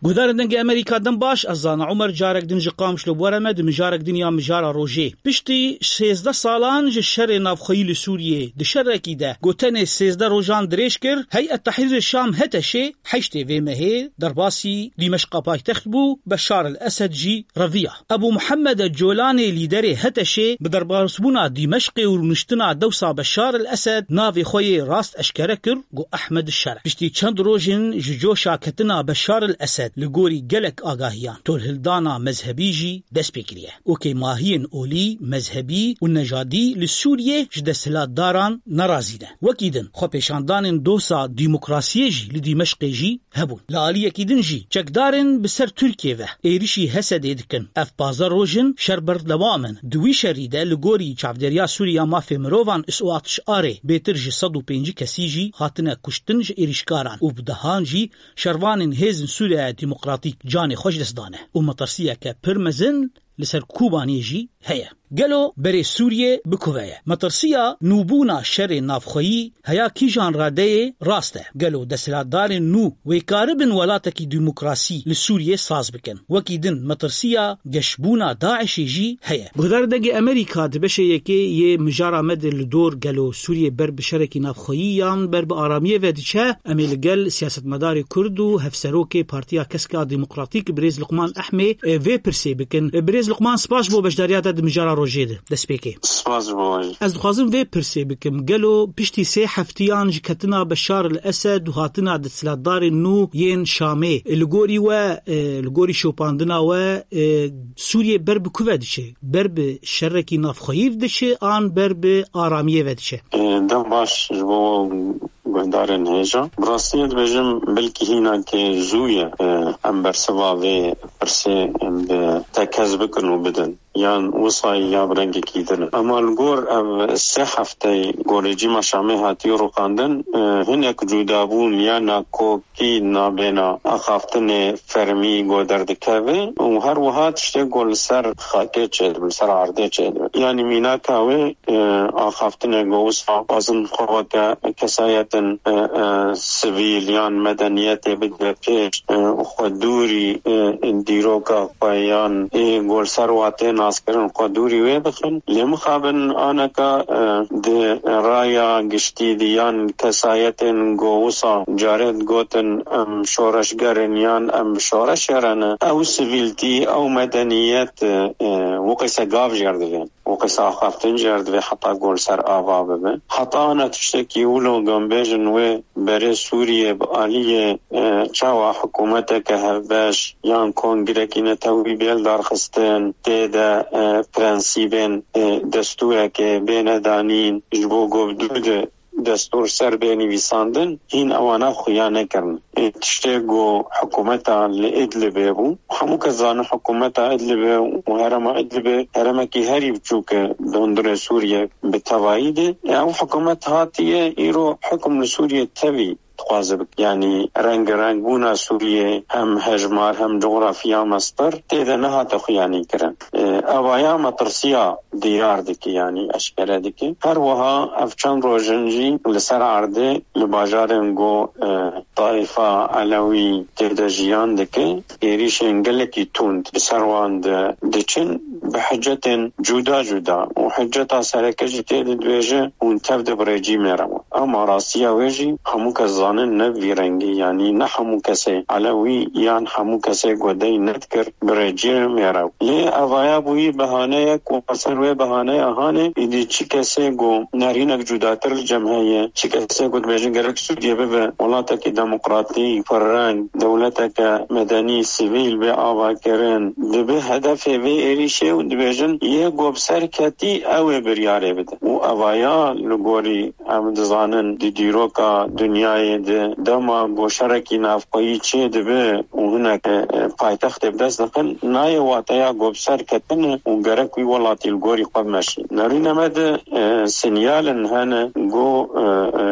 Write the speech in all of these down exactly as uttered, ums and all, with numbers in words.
Guhdarên Dengê Amerîka, dem baş, ez Zana Umer, carek din ji Qamişlo bi we re me di mijarek din ya Mijara Rojê. Piştî sêzdeh salan ji şerê navxweyî li Sûriyê, di şerekî de ku tenê sêzdeh rojan dirêj kir, Heyet Tehrîrê Şam, H T Şê, heştê vê mehê derbasî Dîmeşqa paytext bû, Beşar el Esed jî reviya. Ebû Muhemmed el Colanê, lîderê H T Şê, bi derbasbûna Dîmeşqê û rûniştina dewsa Beşar el Esed navê xwe yê rast eşkere kir, got, Ehmed Şer. Piştî çend rojên ji coşa ketina Beşar el Esed, li gorî gelek agahiyan, tolhildana mezhebî jî dest pê kiriye. Okê mahiyên olî, mezhebî û nejadî li Sûriyê ji desthilatdaran nerazî ne. Wekî din, xwepêşandanên dosa demokrasiyê jî li Dîmeşqê jî hebûn. Li aliyekî din jî çekdarên bi ser Tirkiyê ve êrişî Hesedê dikin. Ev pazdeh roj in şer berdewam in. Di wî şerî de li gorî Çavdêriya Sûrî ya Mafê Mirovan, S O A T Ş R'ê, bêtir ji sed û pêncî kesî jî hatine kuştin ji êrişkaran û bi dehan jî şervanên Hêzên Sûriya Demokratîk canê xwe ji dest dane û metirsiyeke pir mezin li ser Kobaniyê jî heye. Gelo berê Sûriyê bi ku ve ye? Metirsiya nûbûna şerê navxweyî heya kîjan radeyê rast e? Gelo desthilatdarên nû wê karibin welatekî demokrasî li Sûriyê saz bikin? Wekî din metirsiya geşbûna DAIŞê jî heye. Guhdarên Dengê Amerîka, di beşê yekê yê mijara me de li dor gelo Sûriyê ber bi şerekî navxweyî yan ber bi aramiyê ve diçe? Em ê li gel siyasetmedarê Kurd û hevserokê Partiya Kesk a Demokratîk, birêz Luqman Ehmê, e, vê pirsê bikin. E, birêz Luqman, spas ji bo beşdariya te di mijara rojê de. Destpêkê. Spas ji bo we jî. Ez dixwazim vê pirsê bikim. Gelo piştî sê heftiyan ji ketina Beşar el Esed û hatina desthilatdarên nû yên Şamê, e, li gorî we, e, li gorî şopandina we, e, Sûriyê ber bi ku ve diçe? Ber bi şerekî navxweyî ve diçe an ber bi aramiyê ve diçe? E, dem baş ji bo guhdarên hêja. Bi rastiyê dibêjim, belkî hînakê zû ye, e, em bersiva vê pirsê bi tekez bikin û bidin. Yan wisa ya bi rengekî din e. Ema li gor ev sê hefteyê ku rejîma Şamê hatiye rûxandin, e, hinek cudabûn ya nakokî nabêna axaftinê fermî ku derdikeve û her wiha tiştê ku li ser xakê çêdibe, li ser erdê çêdibe. Yanî mînaka wê e, axaftinê ku wisa dixwazin xwe weke kesayetin, e, e, sivîl yan medeniyetê bide pêş, e, û xwe dûrî, e, dîroka xwe yan ê ku li ser wan tê naskirin xwe dûrî wê bixin. Lê mixabin aneka, e, di raya giştî de yan kesayetên ku wisa carê digotin em şoreşger in yan em bi şoreşê re ne, ew sivîltî, ew medeniyet, e, e, wekî se gav jê re divê. û qisa axaftin jê re divê heta ku li ser ava bibe. Heta ana tiştekî wilo ku em bêjin wê berê Sûriyê bi aliyê, e, çawa hikûmeteke hevbeş yan kongrekî netewî bê lidarxistin, tê de, e, prensîbên, e, destûrekê bêne danîn, ji bo ku bi dû de destûr ser bê nivîsandin, hîn ewana xuya nekirin. Ê, tiştê ku hikûmeta li Idlibê bû, hemû kes zanin hikûmeta Idlibê û herêma Idlibê herêmekî herî biçûk e di hundirê Sûriyê bi tevayî de. Ê, ew hikûmet hatiye îro hikûm li Sûriyê tevî dixwaze bike. Yanî rengarengbûna Sûriyê hem hejmar hem coxrafiya mestir tê de nehate xuyanîkirin. Ê, evaya metirsiya diyar dike, yanî eşkere dike. Her wiha ev çend roj in jî li ser erdê li bajarên ku, e, taifa Elewî tê de jiyan dike, êrîşên gelekî tund bi ser wan di-, diçin, bi hicetên cuda cuda û hiceta sereke jî tê de dibêje hûn tev de bi rejîmê re bûn. Ema rastiya wê jî hemû kes zanin ne bi vî rengî, yanî ne hemû kesê Elewî yan hemû kesê ku dey nedikir bi rejîmê re. Lê evaya bûyî behaneyek û ser wê behaneya hanê, îdî çi kesê ku nerînek cudatir li cem heye, çi kesê ku dibêjin gerek Sûriye bibe welatekî demokratîk, pirreng, dewleteke medenî, sivîl bê avakirin, dibe hedefê vê êrîşê û dibêjin yê ku bi ser ketî ew ê biryarê bide. Û evaya li gorî em dizanin di dîroka dinyayê de dema ku şerekî navxweyî çê dibe û hinek, e, e, paytextê bi dest dixin, nayê wateya ku bi ser ketine û gerek wî welatî li gorî xwe bimeşî. Nerîne me de, e, sinyalin hene ku, e, e,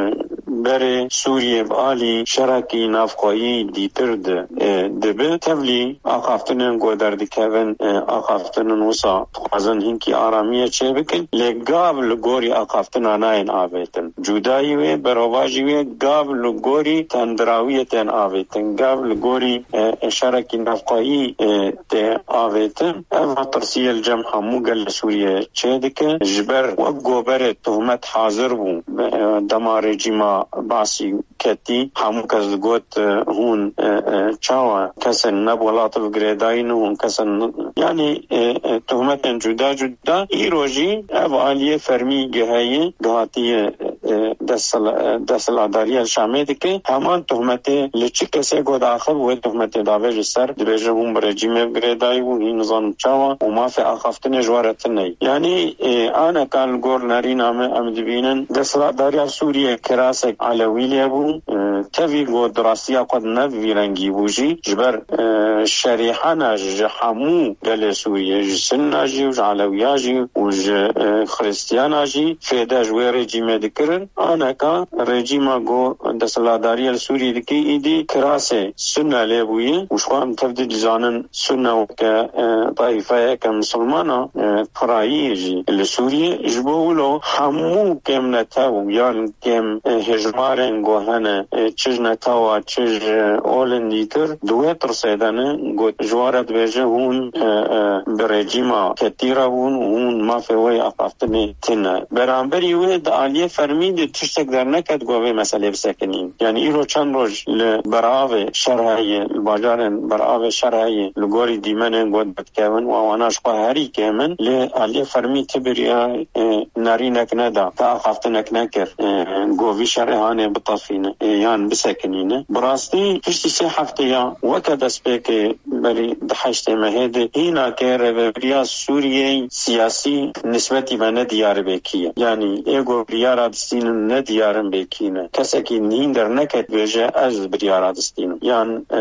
berê Sûriyê bi alî şerekî navxweyî dîtir di, e, dibi. Tevlî axaftinên ku derdikevin, e, axaftinên wisa dixwazin hinkî aramiyê çêbikin, lê gav li gorî axaftina nayên avêtin. Cudayî wê, berovajî wê, gav li gorî tendirawiyê tên avêtin, gav li gorî, e, şerekî navxweyî, e, tê avêtin. Ev metirsiyê li cem hemû gelê Sûriyê çêdike. Ji ber wek goberê tohmet hazir bû, e, dema rejîma Basî ketî, hemû kes digot, e, hûn, e, e, çawa kesên ne bi welat ve girêdayî ne, hûn kesên, yanî, e, e, tohmetên cuda cuda. Îro jî ev aliyê fermî giheye, gihatiye, e, desthila-, e, desthilatdariya Şamê dike. Heman tohmetê li çi kesê ku daxil wê tohmetê davê ji ser, dibêje hûn bi rejîmê ve girêdayî bûn, hîn nizanim çawa û mafê axaftinê ji we re tune ye. Yanî, e, aneka li gor nerîna me em dibînin, desthilatdariya Sûriyê kirasek Elewî lê bû, e, tevî ku di rastiya xwe de ne bi vî rengî bû jî, ji ber, e, şerîhana ji hemû gelê Sûriyê, ji Sinna jî û ji Elewiya jî û ji, e, Xiristiyana jî fêde ji wê rejîmê dikirin. Aneka rejîma ku desthilatdariya li Sûriyê dike, îdî kirasê Sunne lê bûye û ji xwe em tev dizanin Sunne weke, e, taîfeyeke misilmana, e, pirayî jî li Sûriyê. Ji bo wilo hemû kêmnetew yan kêm, e, hejmarên ku hene, e, çi ji netewa, çi ji olên dîtir, di wê tirsê de ne, got, ji we re dibêje, hûn, e, e, bi rejîma ketî re bûn û hûn mafê wê axaftinê tune. Beramberî wê di aliyê fermî de tiştek derneket ku vê meselê bisekinîn. Yanî îro çend roj li beravê şer heye, li bajarên beravê şer heye, li gorî dîmenên ku derdikevin û ewana ji xwe herî kêm in, lê aliyê fermî ti biriya, e, nerînek neda, ti axaftinek nekir, e, ku vî şerê hanê bitefîne, e, yan bisekinîne. Bi rastî piştî sê hefteya weke destpêkê berî di heştê mehê de hînakê rêvebiriya Sûriyeyê siyasî nisbetî me ne diyar bê kî ye. Yanî ê ku biryara distînin ne diyar in bê kî ne. Kesekî hîn derneket bêje ez biryara distînim. Yan, e,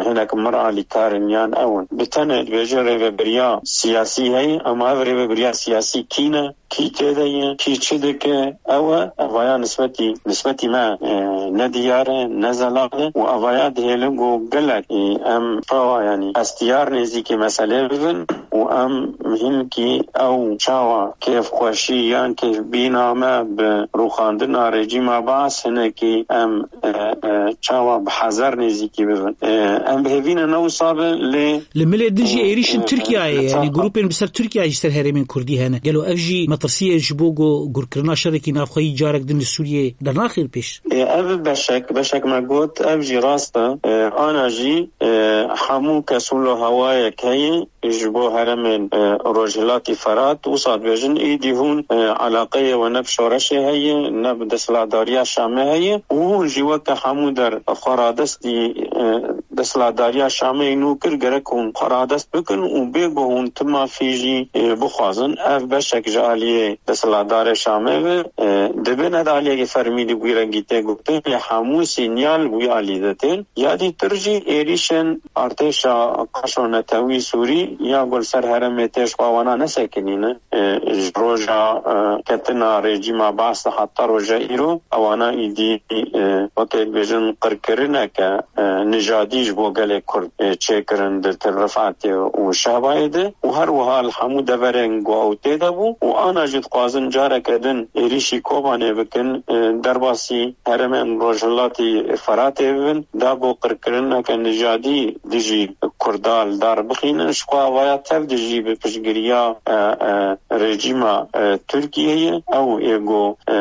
hinek mir alîkar in yan ew in. Bi tenê dibêje rêvebiriya siyasî heye, ama ev rêvebiriya siyasî kî ne? Kî tê de ye, kî çi dike, ew e, evaya nisbetî, nisbetî me, e, ne diyar e, ne zelal e û evaya dihêlin ku gelek, e, em çawa, yanî hestiyar nêzîkî meselê bibin û em hinkî ew çawa kêfxweşî yan kêfbîna me bi rûxandina rejîma Baas hinekî em, e, e, çawa bi hezer nêzîkî bibin. E, em bi hêvî ne ne wisa be, lê Li milê din jî êrîşên Tirkiyeyê, yanî grûpên bi ser Tirkiyeyê ji ser herêmên Kurdî hene. Gelo ev jî metirsiyê ji bo ku gurkirina şerekî navxweyî carek din li Sûriyeyê dernaxin pêş? Ê, ev beşek, beşek me got, ev jî rast e. Ê, ana jî, ê, hemû kes wilo hewayek heye ji bo herêmên, ê, Rojhilatî Ferat, wisa dibêjin, îdî hûn, ê, eleqeyê we ne bi şoreşê heye, ne bi desthilatdariya Şamê heye û hûn jî weke hemû der xwe radestî, ê, desthilatdariya Şamê nû kir, gerek hûn xwe radest bikin û bê ku hûn tu mafî jî, e, bixwazin. Ev beşek ji aliyê desthilatdarê Şamê ve, e, dibe ne di aliyekî fermî de bi wî rengî tê gotin, lê hemû sînyal bi wî alî de tên. Ya dîtir jî êrîşên artêşa qaşo netewî Sûrî ya ku li ser herêmê tê ji xwe wana nesekinîne. E, ji roja, e, ketina rejîma Baas de heta roja îro, ewana îdî, e, weke dibêjin qirkirineke, e, nijadî ji bo gelê Kurd, e, çêkirin di Til Rifatê û Şehbayê de û her wiha li hemû deverên ku ew tê de bû û ana jî dixwazin careke din êrîşî Kobanê bikin, e, derbasî herêmên Rojhilatî Feratê bibin, da ku qirkirineke nijadî dijî Kurda li dar bixînin, ji xwe avaya tev dijî bi piştgiriya, e, e, rejîma, e, Tirkiyeyê, ew ê ku, e,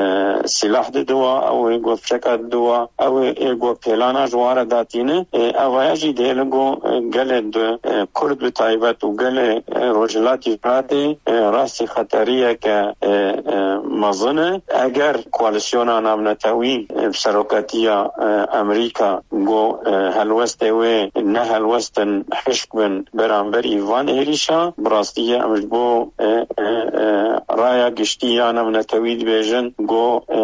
sîlah dide wa, ew ê ku fişeka dide wa, ew ê ku pêlana ji wan re datîne, e, avaya jî dihêlin ku, e, gelê di, e, Kurd bi taybet û gelê, e, Rojhilatî Firatê, e, rastî xeteriyeke, e, e, mezin e. Eger koalîsyona navnetewî, e, bi seroketiya, e, Amerîka ku, e, helwestê wê ne helwestin hişk bin beramberî van êrîşa, bi rastî ye em ji bo, e, e, e, raya giştî ya navnetewî dibêjin ku, e,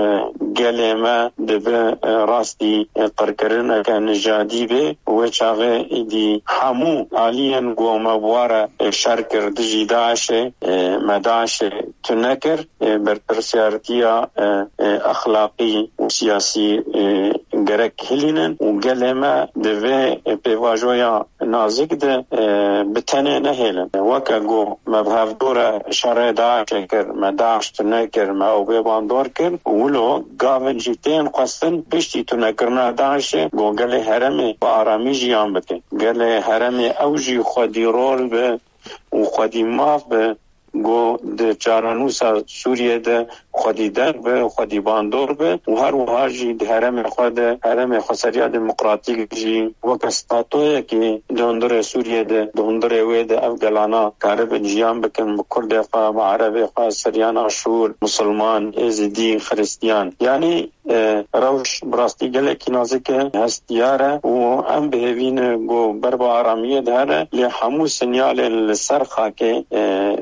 gelê me dibe, e, rastî, e, qirkirineke nijadî be. Wê çaxê îdî hemû aliyên ku me bi wan re, e, şer kir dijî DAIŞê, e, me DAIŞê tune kir. E, berpirsiyaretiya, e, e, exlaqî û siyasî, e, gerek hilînin û gelê me di vê pêvajoya nazik de, e, bi tenê nehêlin. Weke ku me bi hevdû re şerê DAIŞê kir, me DAIŞ tune kir, me ew bê bandor kir, wilo gavin jî tên xwestin piştî tunekirina DAIŞê ku gelê herêmê bi aramî jiyan bike. Gelê herêmê ew jî xwedî rol be û xwedî maf be, ku di çarenûsa Sûriyê de xwedî deng be, xwedî bandor be û her wiha jî di herêmê xwe de, herêmê xweseriya demokratîk jî weke statoyekê di hundirê Sûriyê de, di hundirê wê de ev gelana karibin jiyan bikin, bi Kurdê xwe, bi Erebê xwe, Siryan, Aşûr, Musulman, Êzidî, Xiristiyan. Yanî, e, rewş bi rastî gelekî nazik e, hestiyar e û em bi hêvî ne ku ber bi aramiyê dihere, lê hemû sinyalên li ser xakê, e,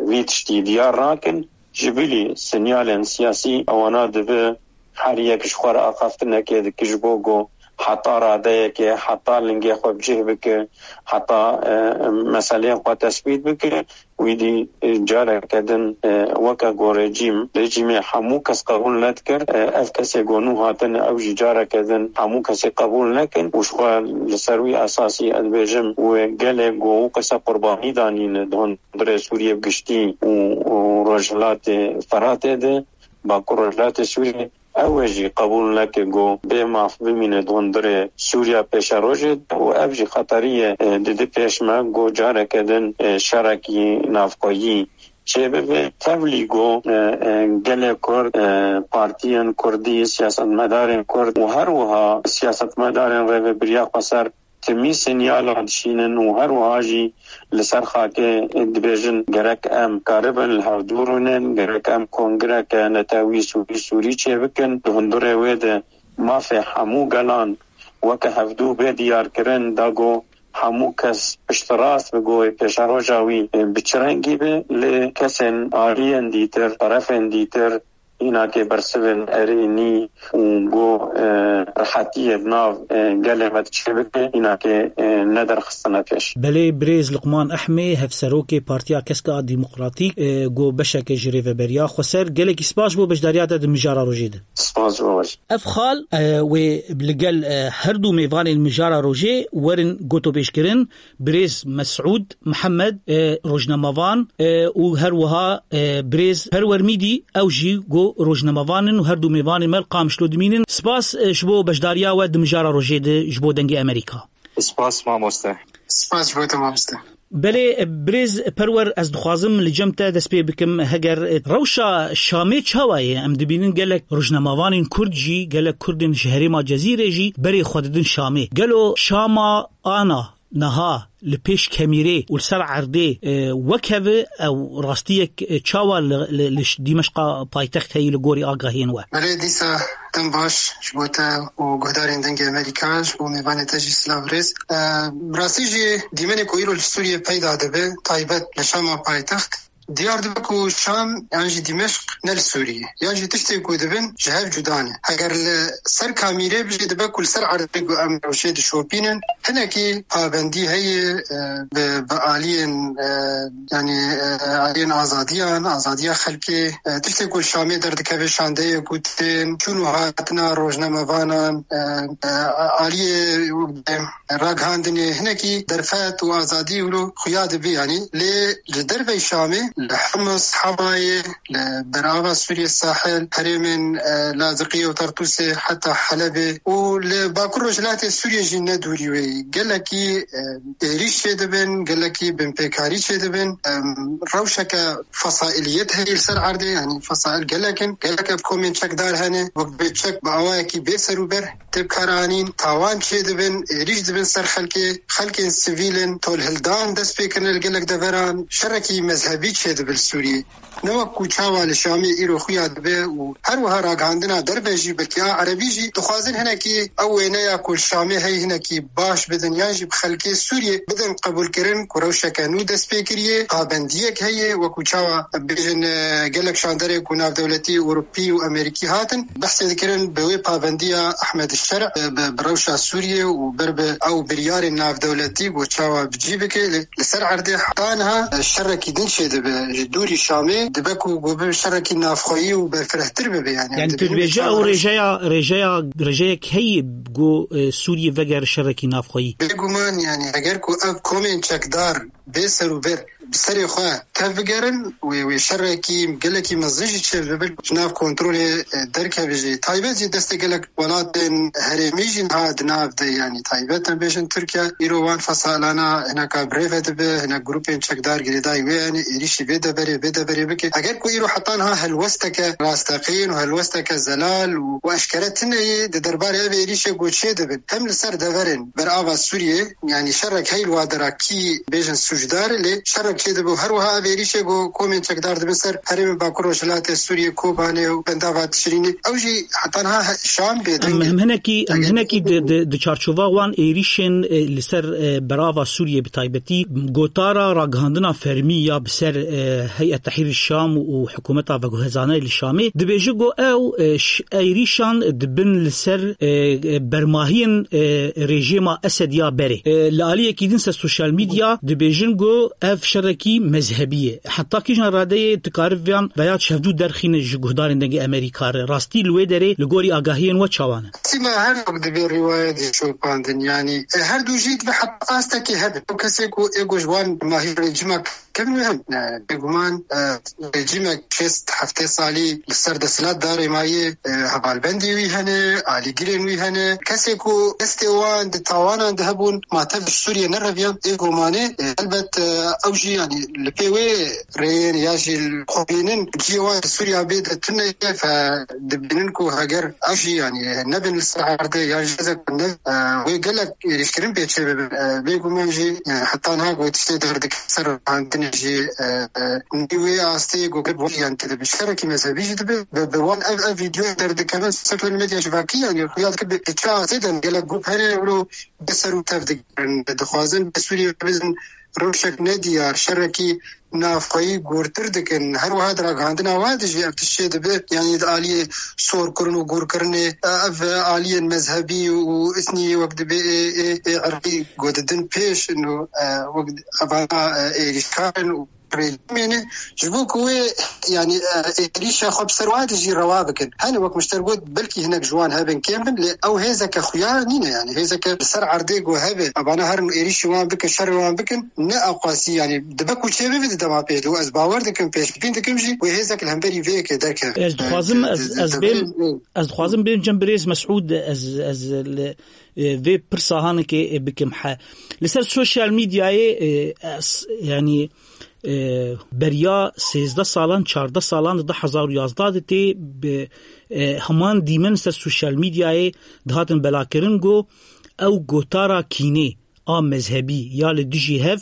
vî tiştî diyar nakin. Ji bilî sinyalên siyasî ewana dibe her yek ji xwe re axaftinekê dike ji bo ku heta radeyekê, heta lingê xwe bi cih bike, heta, e, meseleyên xwe tesbît bike. Wî dî, e, careke din, e, weke ku rejîm, rejîmê hemû kes qebûl nedikir, e, ev kesê ku nû hatine, ew jî careke din hemû kesê qebûl nekin û ji xwe li ser wî esasî ez dibêjim, wê gelê ku wê qise qurbanî danîne di hundirê Sûriyê bi giştî û, û Rojhilatê Feratê de, Bakur Rojhilatê Sûriyê, ew ê jî qebûl neke ku bê maf bimîne di hundirê Sûriya pêşerojê de û ev jî xeteriyê, e, dide pêş me ku careke din, e, şerekî navxweyî çêbibe. Tevlî ku, e, e, gelê Kurd, e, partiyên Kurdî, siyasetmedarên Kurd û her wiha siyasetmedarên rêvebiriya xweser timî sinyala dişînin û her wiha jî li ser xakê dibêjin, gerek em karibin li hevdû rûnin, gerek em kongreke netewî Sûrî Sûrî çêbikin. Di hundirê wê de mafê hemû gelan weke hevdû bê diyarkirin, da ku hemû kes piştrast bi, ku pêşeroja wî bi çi rengî be, lê kesên aliyên dîtir, terefên dîtir, Hînakê bersivên erênî û ku, e, rehetiyê di nav, e, gelê me diçe bike, hînakê, e, nederxistine pêş. Belê, birêz Luqman Ehmê, hevserokê Partiya Keska Demokratîk, e, ku beşeke ji Rêveberiya Xweser, gelekî spas ji bo beşdariya te di mijara rojê de. Spas ji bo we jî. Ev xal, e, wê li gel, e, her du mêvanên mijara rojê werin gotobêjkirin. Birêz Mesûd Mihemed, e, rojnamevan, e, û her wiha, e, birêz Perwer Mîdî, ew jî ku rojnamevan in û her du mêvanên me li Qamişlo dimînin. Spas, e, ji bo beşdariya we di mijara rojê de ji bo Dengê Amerîka. Spas mamoste. Spas ji bo te mamoste. Belê, e, birêz Perwer, ez dixwazim li cem te dest pê bikim. Heger, e, rewşa Şamê çawa ye? Em dibînin gelek rojnamevanên Kurd jî, gelek Kurdên ji herêma Cezîrê jî berê xwe didin Şamê. Gelo Şama ana niha li pêş kemîrê û li ser erdê, e, wek hev e, ew rastiyek, e, çawa li, li, li ş-, Dîmeşqa paytext heyî li gorî agahiyên we? Belê, dîsa dem baş ji bo te û guhdarên Dengê Amerîka, ji bo mêvanê te jî silav rêz. E, bi rastî jî dîmenê ku îro li Sûriyê peyda dibe, taybet li Şama paytext, diyar dibe ku Şam yan jî Dîmeşq ne li Sûriyê, yan jî tiştê ku dibin ji hev cuda ne. Heger li ser kamîrê bijî dibe ku li ser erdê ku em rewşê dişopînin, hinekî pabendî heye, e, bi, bi aliyên, e, yanî, e, aliyên azadiyan, azadiya xelkê, e, tiştê ku li Şamê derdikeve şandeyê ku tên, çûn û hatina rojnamevanan, e, e, aliyê ragihandinê hinekî derfet û azadî wilo xuya dibe, yanî lê li dervey Şamê, li Hims, Hemayê, li berava Sûriyê sahil, herêmên, e, Laziqiyê û Tartûsê heta Helebê û li Bakur Rojhilatê Sûriyê jî ne dûrî wê yî. Gelekî, e, êrîş çêdibin, gelekî binpêkarî çêdibin. Em, rewşeke fesaîliyet heye li ser erdê, yanî fesaîl gelek in, gelek ev komên çekdar hene, wek bê çek bi awayekî bê serûber tê bikaranîn, tawan çêdibin, êrîş dibin ser xelkê, xelkên sivîl in, tolhildan dest pê kirine li gelek deveran, şerekî mezhebî çêdibe li Sûriyê. Ne wek ku çawa li Şamê îro xuya dibe û her wiha ragihandina derve jî, belkî a erebî jî dixwazin hinekî ew wêneya ku li Şamê heye hinekî baş bidin, yan jî bi xelkê Sûriyê bidin qebûlkirin ku rewşeke nû dest pê kiriye, pabendiyek heye, wek ku çawa bêjin, e, gelek şanderê ku navdewletî Ewropî û Amerîkî hatin, behsê dikirin bi wê pabendiya Ehmed Şer, e, bi, bi rewşa Sûriyê û ber bi ew biryarên navdewletî ku çawa bi cî bike, li, li ser erdê heta niha, e, şerekî din çêdibe. e, ji dûrî Şamê dibe ku ku bibe şerekî navxweyî û berfirehtir bibe, yani. Yani, tu dibêje ew rêjeya, rêjeya, rêjeyek heye ku, e, Sûriyê veger şerekî navxweyî? Bêguman, yani, eger ku ev komên çekdar bê serûber bi serê xwe tev bigerin, wê, wê şerekî gelekî mezin jî çêbibe, ji nav kontrolê, e, derkeve jî. Taybet jî destê gelek welatên herêmî jî niha di nav de, yanî taybet em bêjin Tirkiye, îro wan fesalana hineka birêve dibe, hinek grûpên çekdar girêdayî wê hene, êrîşî vê deverê, vê deverê bike. Eger ku îro heta niha helwesteke rasteqîn û helwesteke zelal û, û eşkere tune yê di derbarê ev êrîşê ku çê dibin, hem li ser deverên berava Sûriyê, yanî şerek hey li wa dera kî bêjin sûcdar, lê şerek çêdibe û her wiha ev êrîşê ku komên çekdar dibin ser herêmên Bakur Rojhilatê Sûriyê, Kobanê û Bendava Tişrînê, ew jî heta niha he-, Şam bê Em, deng e. em hinekî, em Eger hinekî di, di, di çarçova wan êrîşên, e, li ser, e, berava Sûriyê bi taybetî gotara ragihandina fermî ya bi ser, e, Heyet Tehrîr Şam û hikûmeta veguhezanê li Şamê dibêje ku ew, e, ş-, êrîşan dibin li ser, e, e, bermahiyên, e, rejîma Esed ya berê. E, li aliyekî din ser sosyal medya dibêjin ku ev şerekî mezhebî ye. Heta kîjan radeyê tu karî viyan veya çevdû derxîne ji guhdarên Dengê Amerîka re? Rastî li wê derê li gorî agahiyên we çawan e? Sîma her wek dibe rîwayetê şopandin, yanî, e, her du jî dibe heta astekê hebe. Ew kesê ku ê ku ji wan mahî rejîma kevin wê hem, e, bêguman, e, rejîmek şêst heftê salî li ser desthilat darê mayê, e, hevalbendê wî hene, alîgirên wî hene. Kesê ku destê wan di tawanan de hebûn, ma tev ji Sûriyê nereviyan, ê gomanê, e, elbet, e, ew jî, yanî, li pê wê rêyên ya jî li xwe bînin, cihê wan li Sûriya bê de tune ye, fe dibînin ku heger ew jî, yanî, nebin li ser erdê, yan jî hêzek ne, e, wê gelek êrîşkirin pê çê bibin. E, bêguman jî, e, heta niha ku tiştê derdikevin ser rahandinê jî, e, e, nî wê astê ku bi wan, yanî, dibe şerekî mezhebî jî dibe. Bi, bi wan ev, ev vîdyoyê derdikevin sosyal medya civakî, yanî, xuya dike bi, bi çi astê de gelek grup hene, wilo bi ser û tev digirin. Dixwazin bi Sûriyê bizin rewşek nediyar, şerekî navxweyî gûrtir dikin. Her wiha di ragihandina wan de jî ev tişt çê dibe, yanî di aliyê sorkirin û gûrkirinê, ev aliyên mezhebî û îtnî wek dibe ê, ê, ê irqî ku didin pêş û, e, wek evana, e, êrîşkar in û rejîmê ne, ji bo ku wê, yanî, e, êrîşa xwe bi ser wan de jî rewa bikin. Hene wek min ji te re got, belkî hinek ji wan hebin kêm bin, lê ew hêzeke xuya nîne, yanî hêzeke li ser erdê ku hebe, evana herin êrîşî wan bikin, şerê wan bikin, ne ewqasî, yanî dibe ku çê bibe di dema pêş de. Û ez bawer dikim, pêşbîn dikim jî wê hêzek li hemberî vê yekê derkeve. Ez dixwazim, E, ez, di, ez di, bêm, di, ez dixwazim bêm cem birêz Mesûd, ez, ez li, e, vê pirsa hanekê, e, bikim he. Li ser sosyal medyayê, e, ez, yanî, e, beriya sêzdeh salan, çardeh salan di du hezar û yazdeh de tê bi, e, heman dîmen ser sosyal medyayê dihatin belakirin ku ew gotara kînê a mezhebî ya li dijî hev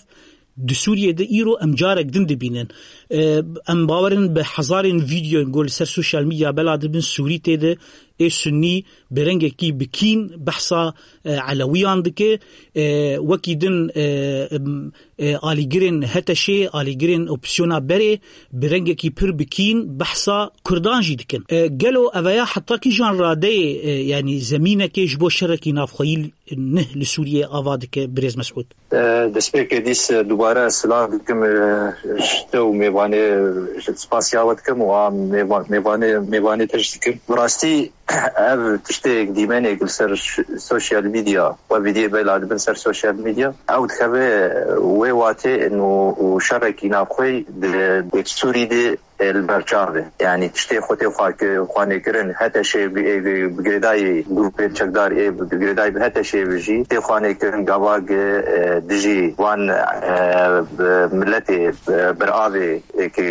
di Sûriyê de îro em carek din dibînin. E, em bawerin bi hezarên vîdyoyên ku li ser sosyal medya bela dibin, Sûrî tê de, ê Sunnî bi rengekî bi kîn behsa, e, Elewiyan dike. E, wekî din, e, em, e, alîgirên HTŞ'ê, alîgirên opozîsyona berê bi rengekî pir bi kîn behsa Kurdan jî dikin. E, gelo eveya heta kîjan radeyê, e, yanî zemînekê ji bo şerekî navxweyî nih li Sûriyê ava dike, birêz Mesûd? E, destpêkê dîs, e, dubare silav dikim, e, ji te û mêvanê, e, spasiya we dikim û a mêva-, mêvanê, mêvanê te jî dikim. Bi rastî ev tiştê dîmenê li ser ş-, sosyal medya, we vîdyoyê bela dibin ser sosyal medya, ew dikeve, e, wê watê û, û şerekî navxweyî di, di Sûrî de e, li ber çav e. Yanî tiştê xwe tê xwe ki-, xwanê kirin, HTŞ'ê bi, ê, bi, bi girêdayî grûpên çekdar ê bi, bi girêdayî bi HTŞ'ê bi jî tê xwanê kirin gava ki, e, dijî wan, e, bi miletê, e, biravê, e, ki,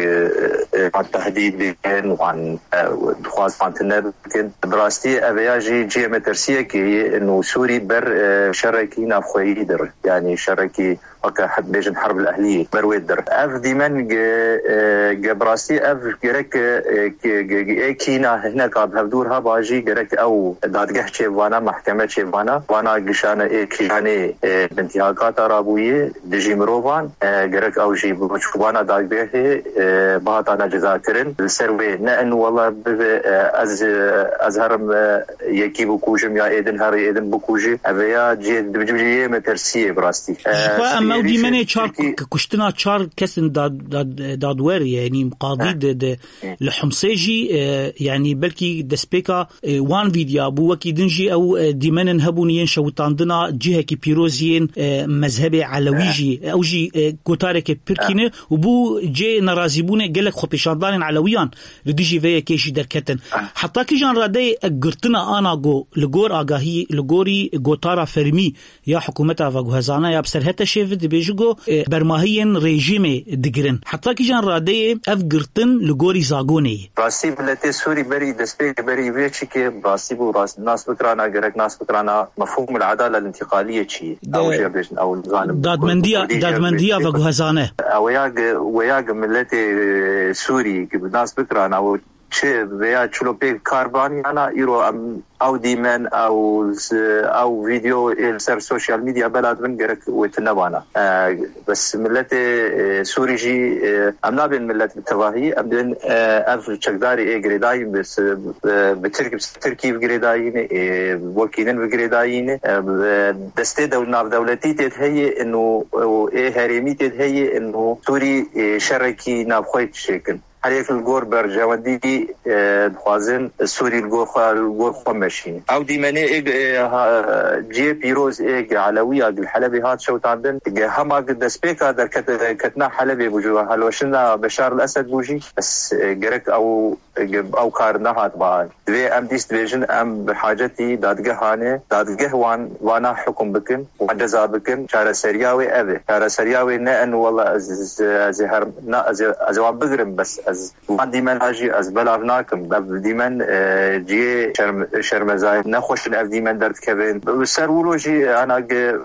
e, wan tehdîd bikin, wan, e, dixwaz wan tune bikin. Bi rastî ev ya jî cihê metirsiyekê ye, û Sûrî ber, e, şerekî navxweyî dir. Yanî şerekî weke heb-, bêjin herb el ehliyê, ber wê dir. Ev dîmen ge, e, ge bi rastî ev gerek, e, ge, ge, ge, ê kîna hineka bi hevdûr heba jî gerek ew dadgeh çêbivana, mehkeme çêbivana, vana gişane ê kîjanê, e, bintîhakata rabûyê dijî mirovan, e, gerek ew jî bi çûbana dadgehê, e, bihatana cezakirin. Li ser wê ne in wela bibe, e, ez, e, ez herim, e, yekî bikujim ya êdin herî êdin bikujî. Ev ya cihê, cihê metirsiyê bi rastî. Ji xwe em, Ew dîmenê çar ku-, kuştina çar kesin dad-, dad-, dadwer, yanî qadî de, de li Humsê jî, e, yanî belkî destpêka, e, wan vîdya bû, wekî din jî ew, e, dîmenên hebûn yên şewitandina cihekî pîroz yên, e, mezhebê Elewî jî, ew jî, e, gotareke pirkî ne û bû cê nerazîbûnê gelek xwepêşandanên Elewiyan li dijî vê yekê jî derketin. Heta kîjan radeyê girtina ana go li gor agahî, li gorî gotara fermî ya hikûmeta veguhezane ya bi ser HTŞ'ê ve dibêje ku, e, bermahiyên rejîmê digirin. Heta kîjan radeyê ev girtin li gorî zagonê ye? Rastî miletê Sûrî berî destpêkê berî vê çikê rastî bû rast nas bikirana, gerek nas bikirana mefhûmul edala lintîqaliyê çi ye? De-, Ew jê bêjin, ew nizanim, dadmendiya, Kurdî jê dadmendiya bêjin. Veguhezane. Ew ya ge-, we ya ge miletê, e, Sûrî ge nas bikirana, ew çi veya çilo pê kar ban yana îro em ew dîmen, ew z-, ew vîdeo ê li ser sosyal medya bela dibin gerek wê tune bana. E, bes miletê, e, Sûrî jî, e, em nabên milet bi tevahî, em dibên, e, ev çekdarê ê girêdayî bi s-, bi, bi Tirk-, bi Tirkî bi girêdayî ne, ê wekî din bi girêdayî ne, e, bi destê dew-, navdewletî tê de heye ino, û ê herêmî tê de heye ino Sûrî, e, şerekî navxwe çêkin. Her yek li gor berjewendî, e, dixwazin Sûrî li gor xwe, li gor xwe meşînin. Ew dîmenê ê, e, ha, cihê pîroz ê ge Elewiya ge li Helebê hat şewitandin, ge hema ge destpêka derket-, ketina Helebê bû jî, helweşina Beşar el Esed bû jî, bes, e, gerek ew, ge ew kar nehat ba. Divê em dîst dibêjin, em bi hacetî dadgehan e, dadgeh wan, vana hukum bikin, wan ceza bikin, çareseriya wê ev e. Çareseriya wê ne en wela ez, ez, ez ê her, na, ez ê, ez ê wan bigirim, bes ez Van dîmena jî ez belav nakim. Ev dîmen, e, cihê şerm-, şermezayî nexweş in ev dîmen derdikevin. Bi ser wilo jî, ana ge-,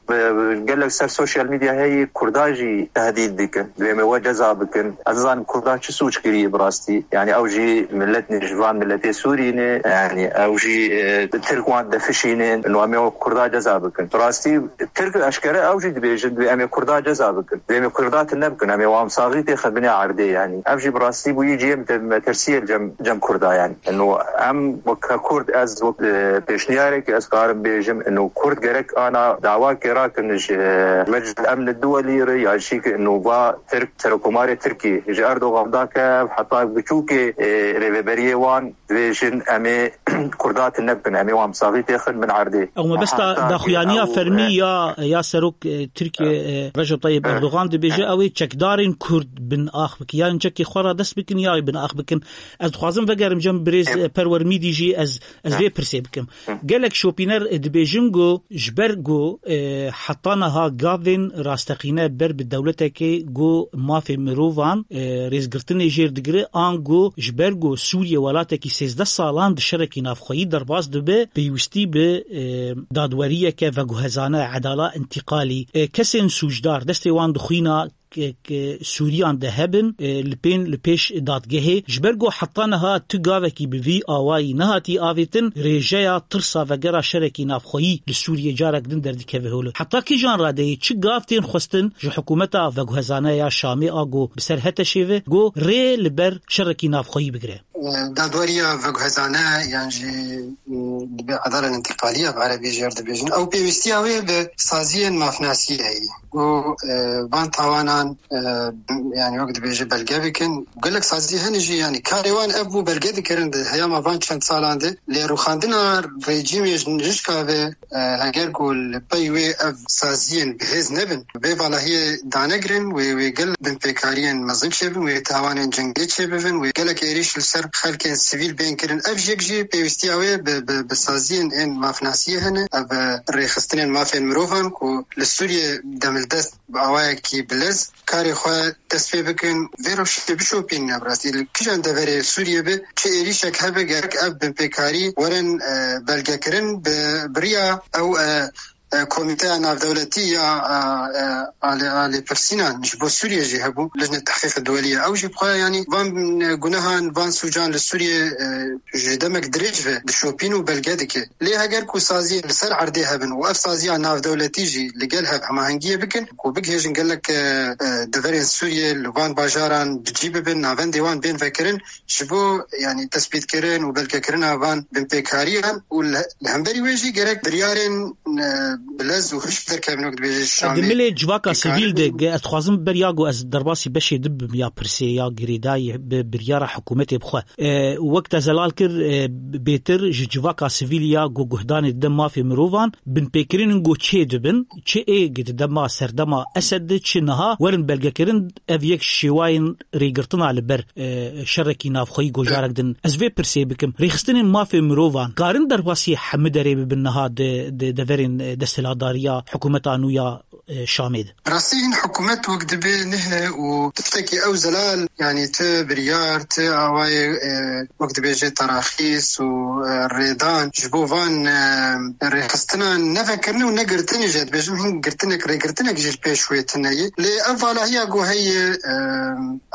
bi, bi gelek ser sosyal medya heyî Kurda jî tehdît dikin. Divê me we ceza bikin. Ez nizanim Kurda çi sûc kiriye bi rastî. Yani ew jî millet ne, ji van milletê Sûrî ne. Yani ew jî, e, Tirk wan defişînin. No em ê we Kurda ceza bikin. Bi rastî Tirk eşkere ew jî dibêjin, divê em ê Kurda ceza bikin. Divê em ê Kurda tune bikin. Em ê wan saxî têxin binê erdê, yanî. Ev jî bi rastî bûyî cihê mete-, metirsiyê li cem, cem Kurda, yanî. Ino em weke Kurd, ez wek, e, pêşniyarek ez karim bêjim, ino Kurd gerek ana dawakê rakin ji, e, Meclis Emni Duwelî re ya jî ki ino va Tirk, Serokomarê Tirkî ji Erdogan dake, heta biçûkê, e, rêveberiyê wan dibêjin, em ê Kurda tune bikin, em ê wan bi saxî têxin bin erdê. Ew mebesta Aha, daxuyaniya ew, fermî e, ya, ya serok, e, Tirkiye, e, Recep Tayyip Erdogan dibêje, ew ê çekdarên Kurd bin ax bikin. Yan çekê xwe ra dest bikin, ya bin ax bikin. Ez dixwazim vegerim cem birêz, e, Perwer Mîdî jî ez, ez vê pirsê bikim. Gelek şopîner, e, dibêjin ku ji ber ku, e, heta niha gavên rasteqîne ber bi dewletekê ku mafê mirovan, e, rêzgirtinê jêr digire, ango ji ber ku Sûriye welatekî sêzdeh salan di şerekî navxweyî derbas dibe, pêwîstî bi, e, dadweriyeke veguhezane, edala întîqalî, e, kesên sûcdar destê wan di xwîna ke, ke Sûriyan de hebin, e, li pên, li pêş dadgehê. Ji ber ku heta niha tu gavekî bi vî awayî nehatî avêtin, rêjeya tirsa vegera şerekî navxweyî li Sûriyê carek din derdikeve holê. Heta kîjan radeyê çi gav tên xwestin ji hikûmeta veguhezane ya Şamê a ku bi ser HTŞ'ê ve, ku rê li ber şerekî navxweyî bigire? Dadweriya veguhezane yan jî, e, dibe edala întîqaliya bi erebî jêr dibêjin. Ew pêwîstiya wê bi saziyên mafnasiyê heye. Ku, e, van tawanan, e, yani wek dibêje belge bikin. Gelek sazî hene jî, yani karê wan ev bû belge dikirin di heyama van çend salan de. Lê rûxandina rejîmê ji nijka ve, e, heger ku li pey wê ev saziyên bi hêz nebin, vê valahiyê danegirin, wê, wê gel binpêkariyên mezin çêbin, wê tawanên cengê çêbibin, wê gelek êrîş li ser xelkên sivîl bên kirin. Ev jêk jî pêwîstiya wê bi, bi, bi saziyên ên mafnasiyê hene. Ev, e, rêxistinên mafên mirovan ku li Sûriyê demildest bi awayekî bilez karê xwe dest pê bikin, vê rewşê bişopînin. Ev rastî li kîjan deverê Sûriyê be, çi êrîşek hebe, gerek ev binpêkarî werin, e, belgekirin bi, bi riya ew, e, e, komîteya navdewletî ya, e, e, alê, alêpirsînan ji bo Sûriyê jî hebû, Lijne Tehqîq Duwelî ye. Ew jî bi xwe, yanî van, e, gunehan, van sûcan li Sûriyê, e, ji demek dirêj ve dişopîn û belge dike. Lê heger ku saziyê li ser erdê hebin û ev saziya navdewletî jî li gel hev hemahengiyê bikin, ku bigihêjin gelek, e, e, deverên Sûriyê li van bajaran bi cî bibin, navendê wan bên vekirin, ji bo, yanî, tespîtkirin û belgekirina van binpêkariyan û li, li hemberî wê jî gerek biryarên, e, bi lez û hişk derkevin, wek dibêje Şamê. Di milê civaka sivîl de, ge-, ez dixwazim beriya ku ez derbasî beşê di bim ya pirsê ya girêdayî bi biryara hikûmetê bixwe. E, wek te zelal kir, e, bêtir ji civaka sivîl ya ku guhdanê dide mafê mirovan, binpêkirin in ku çê dibin, çi ê di dema serdema Esed de, çi niha werin belgekirin, ev yek şêwayên rêgirtina li ber, e, şerekî navxweyî gojarek din. Ez vê pirsê bikim. Rêxistinên mafê mirovan karin derbasî hemû derê bibin niha di, di deverên, e, desthilatdariya hikûmeta nû ya, e, Şamê de? Rastî hîn hikûmet wek dibê nihe û tiştekî ew zelal, yanî ti biryar, ti awayê, e, wek dibêje teraxîs û, e, rêdan ji bo van, e, rêxistinan nevekirin û negirtinê jî, dibêjim hîn girtinek, rêgirtinek jî li pêş wê tune ye. Lê ev valahiya ku heye, e,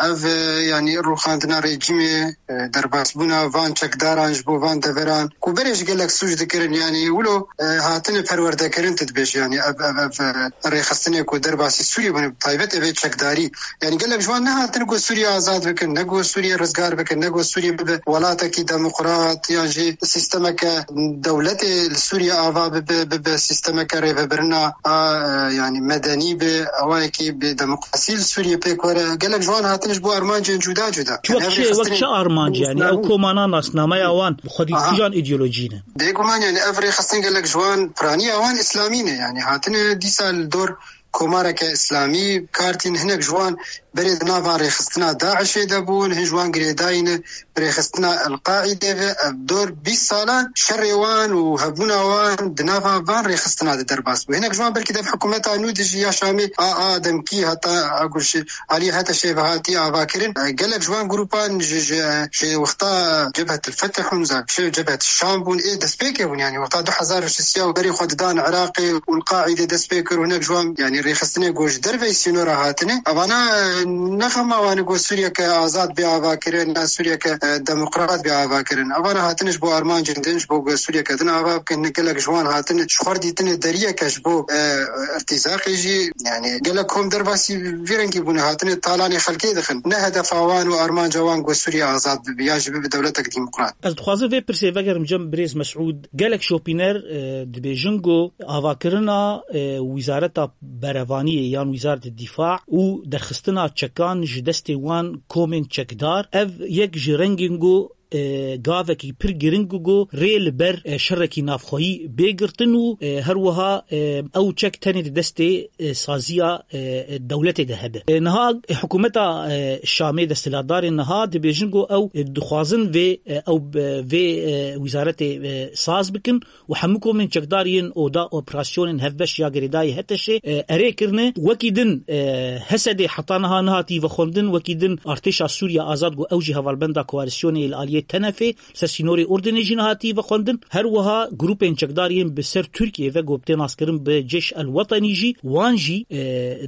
ev, e, yanî rûxandina rejîmê, e, derbasbûna van çekdaran ji bo van deveran ku berê ji gelek sûc dikirin, yanî wilo, e, hatine perwerdekirin, tu dibêjî, yanî ev, ev, ev, e, rêxistinê ku derbasî Sûriyê bûne, bi taybet ev ê çekdarî. Yanî gelek ji wan nehatin ku Sûriye azad bikin, ne ku Sûriye rizgar bikin, ne ku Sûriye bibe welatekî demokrat, yan jî sîstemeke dewletê li Sûriye ava bibe, bibe sîstemeke rêvebirina a, e, yanî medenî be, awayekî bi demokrasî li Sûriye pêk were. Gelek ji wan hatin ji bo armancên cuda cuda. Yanî ev Wek çi, wek rêxistinên çi armanc, yanî ew komana nasnameya wan xwedî Aha. kîjan îdeolojî ne? Bêguman, yanî ev rêxistin gelek ji wan piraniya wan îslamî ne. Yanî hatine dîsa li dor komareke îslamî kar tîn, hinek ji wan berê di nava rêxistina DAIŞê de bûn, hin ji wan girêdayî ne bi rêxistina El-Qaîdê ve. Ev dor bîst salan şerê wan û hebûna wan di nava van rêxistina de derbas bû. Hinek ji wan belkî dev hikûmeta nû de jî ya Şamê a, a demkî heta a ku ji aliyê HTŞê ve hatî avakirin. E, gelek ji wan grûpan ji, ji, ji wexta Cebhet el-Fetih hûn, za, ji Cebhet Şam bûn, ê destpêkê bûn, yanî wexta du hezar û şeş û berê xwe didan Iraqê û El-Qaîdê dest pê kir û hinek ji wan, yanî rêxistinê ku ji derveyî sînora hatine. Evana, e, ne xema wan e ku Sûriyeke azad bê avakirin, ne Sûriyeke, e, demokrat bê avakirin. Evana hatine ji bo armancên din, ji bo ku Sûriyeke din ava bikin. Gelek ji wan hatine ji xwe re dîtine deriyeke ji bo, e, irtîzaqê jî. Yanî gelek kom derbasî vî rengî bûne, hatine talanê xelkê dixin. Ne hedefa wan û armanca wan ku Sûriye azad bibe, yan jî bibe dewletek demokrat. Ez dixwazim vê pirsê vegerim cem birêz Mesûd. Gelek şopîner, e, dibêjin ku avakirina, e, Wîzareta Berevaniyê yan Wîzareta Dîfa û derxistina çekan ji destê wan komên çekdar, ev yek ji rengên ku, e, gavekî pir giring ku rê li ber, e, şerekî navxweyî bê girtin û, e, her wiha, e, ew çek tenê di destê, e, saziya, e, dewletê de hebe. E, niha hikûmeta, e, Şamê, desthilatdarên niha dibêjin ku ew, e, dixwazin vê, e, ew, e, vê, e, wîzaretê, e, saz bikin û hemû komên çekdar yên oda operasyonên hevbeş ya girêdayî HTŞê, e, erê kirine. Wekî din, e, HSDê heta niha nehatî vexwendin, wekî din Artêşa Sûriya Azad ku ew jî hevalbenda koalîsyonê yê li aliyê TENEFê li ser sînorê Urdunê jî nehatî vexwendin. Her wiha grûpên çekdar yên bi ser Tirkiyê ve ku tê naskirin bi Cêş El Wetenî jî, wan jî, e,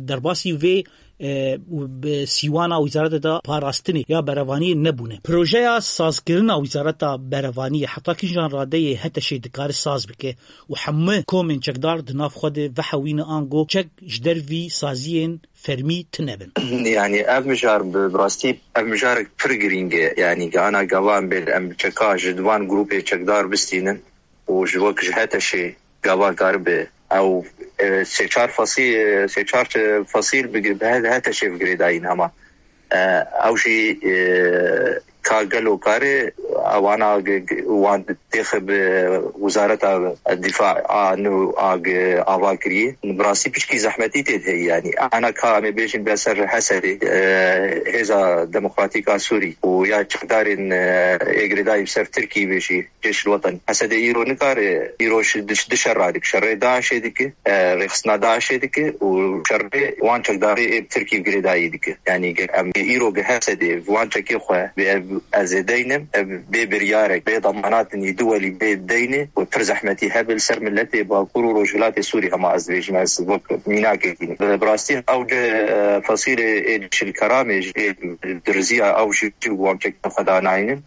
derbasî vê, e, bi sîwana wîzareta parastinê ya berevaniyê nebûne. Projeya sazkirina wîzareta berevaniyê heta kîjan radeyê HTŞê dikare saz bike û hemû komên çekdar di nav xwe de vehewîne ango çek ji dervî saziyên fermî tune bin? Yanî ev mijar bi, bi rastî ev mijarek pir girîng e. Yanî gana gava em bê, em çeka ji di van grûpê çekdar bistînin û ji wek ji HTŞê gava karibe ew, e, sê çar fasî-, e, sê çar, e, fasîl bi, bi HTŞê bi girêdayîn hema. E, ew jî, e, ka gelo kare ewana g-, g-, wan têxe bi Wizareta Dîfa a nû a g-, ava kiriye. Bi rastî piçkî zehmetî tê de heye, yanî. Ana ka em ê bêjin be ser HSDê, e, Hêza Demokratîk a Sûrî û ya çekdarên, e, ê girêdayî bi ser Tirkî bê jî. Cêşil Weten. HSD îro nikare, îro şi-, diş-, dişe radike. Şerê DAIŞê dike, e, rêxistina DAIŞê dike û şerê wan çekdarê ê bi Tirkî girêdayî dike. Yanî ge-, em ê îro ge HSD wan çekê xwe bê ev, ez ê deynim, ev bê biryarek, bê damanatên yî duwelî bê deyne û pir zehmetî hebe li ser miletê Bakur û Rojhilatê Sûrî hema ez dibêjim, ez wek mînakekî ne. Bi, bi rastî ew de, e, fesîlê ê Cêşil Keramê jî ê diriziya ew jî wan çekê xwe danaynin.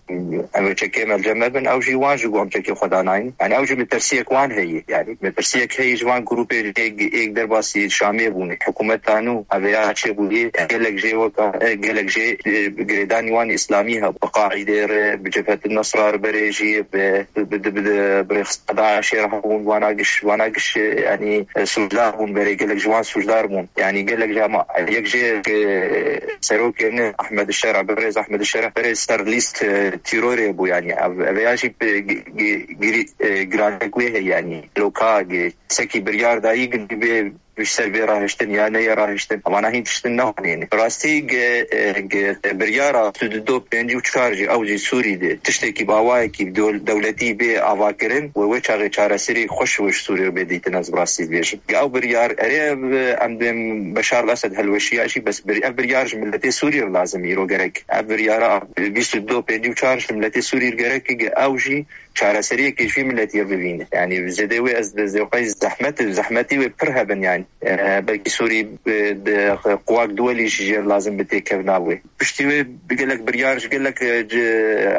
Em ê çekê me li cem me bin, ew jî wan ji wan çekê xwe danayîn. Yanî ew jî metirsiyek wan heye. Yanî metirsiyek heye ji van grûpê êk, êk derbasî Şamê bûne. Hikûmeta nû, ev ya çêbûyê, gelek jê weka, gelek jê, e, girêdanî wan îslamî hebû. Bi Qaîdê re, bi Cebhe Nasra li berê jî bi, bi, bi, bi, bi rêxistina DAIŞê re hebûn, vana giş, vana giş, yanî, e, sûcdar bûn, berê gelek ji wan sûcdar bûn. Yanî gelek ji hema, yek jê, e, serokê ne Ahmed Şera, birêz Ahmed Şera, berê ser lîst, e, tîrorê bû, yanî ev, ev ya jî bi, gi-, gi-, girî-, e, girantek wê heye, yanî loka, gi-, sekî biryar dayî gindî bê ji ser vê rahiştin ya neyê rahiştin. Wana hîn tiştin nehanîne. Rastî ge, ge biryara sî û du pêncî û çar jî ew jî Sûrî de tiştekî bi awayekî dew-, dewletî bê avakirin û wê çaxê çareserî xweş û ji Sûrî bê dîtin, ez bi rastî dibêjim. Ge ew biryar erê ev, em dibên Beşar el-Esed helweşiya jî, bes bir-, ev biryar ji miletê Sûrî re lazim îro gerek. Ev biryara bîst û du pêncî û çar ji miletê Sûrî re gerek ge ew jî çareseriyekê ji vî miletî re bibîne. Yanî zêdê wê ez dizê xwe zehmet, zehmetî wê pir hebin yanî. E, belkî Sûrî, e, de, quwak duwelî jî jê lazim bi têkevna wê. Piştî wê bi gelek biryar ji gelek, e, ci,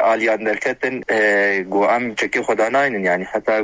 aliyan derketin, e, got em çekê xwe danaynin yanî. Heta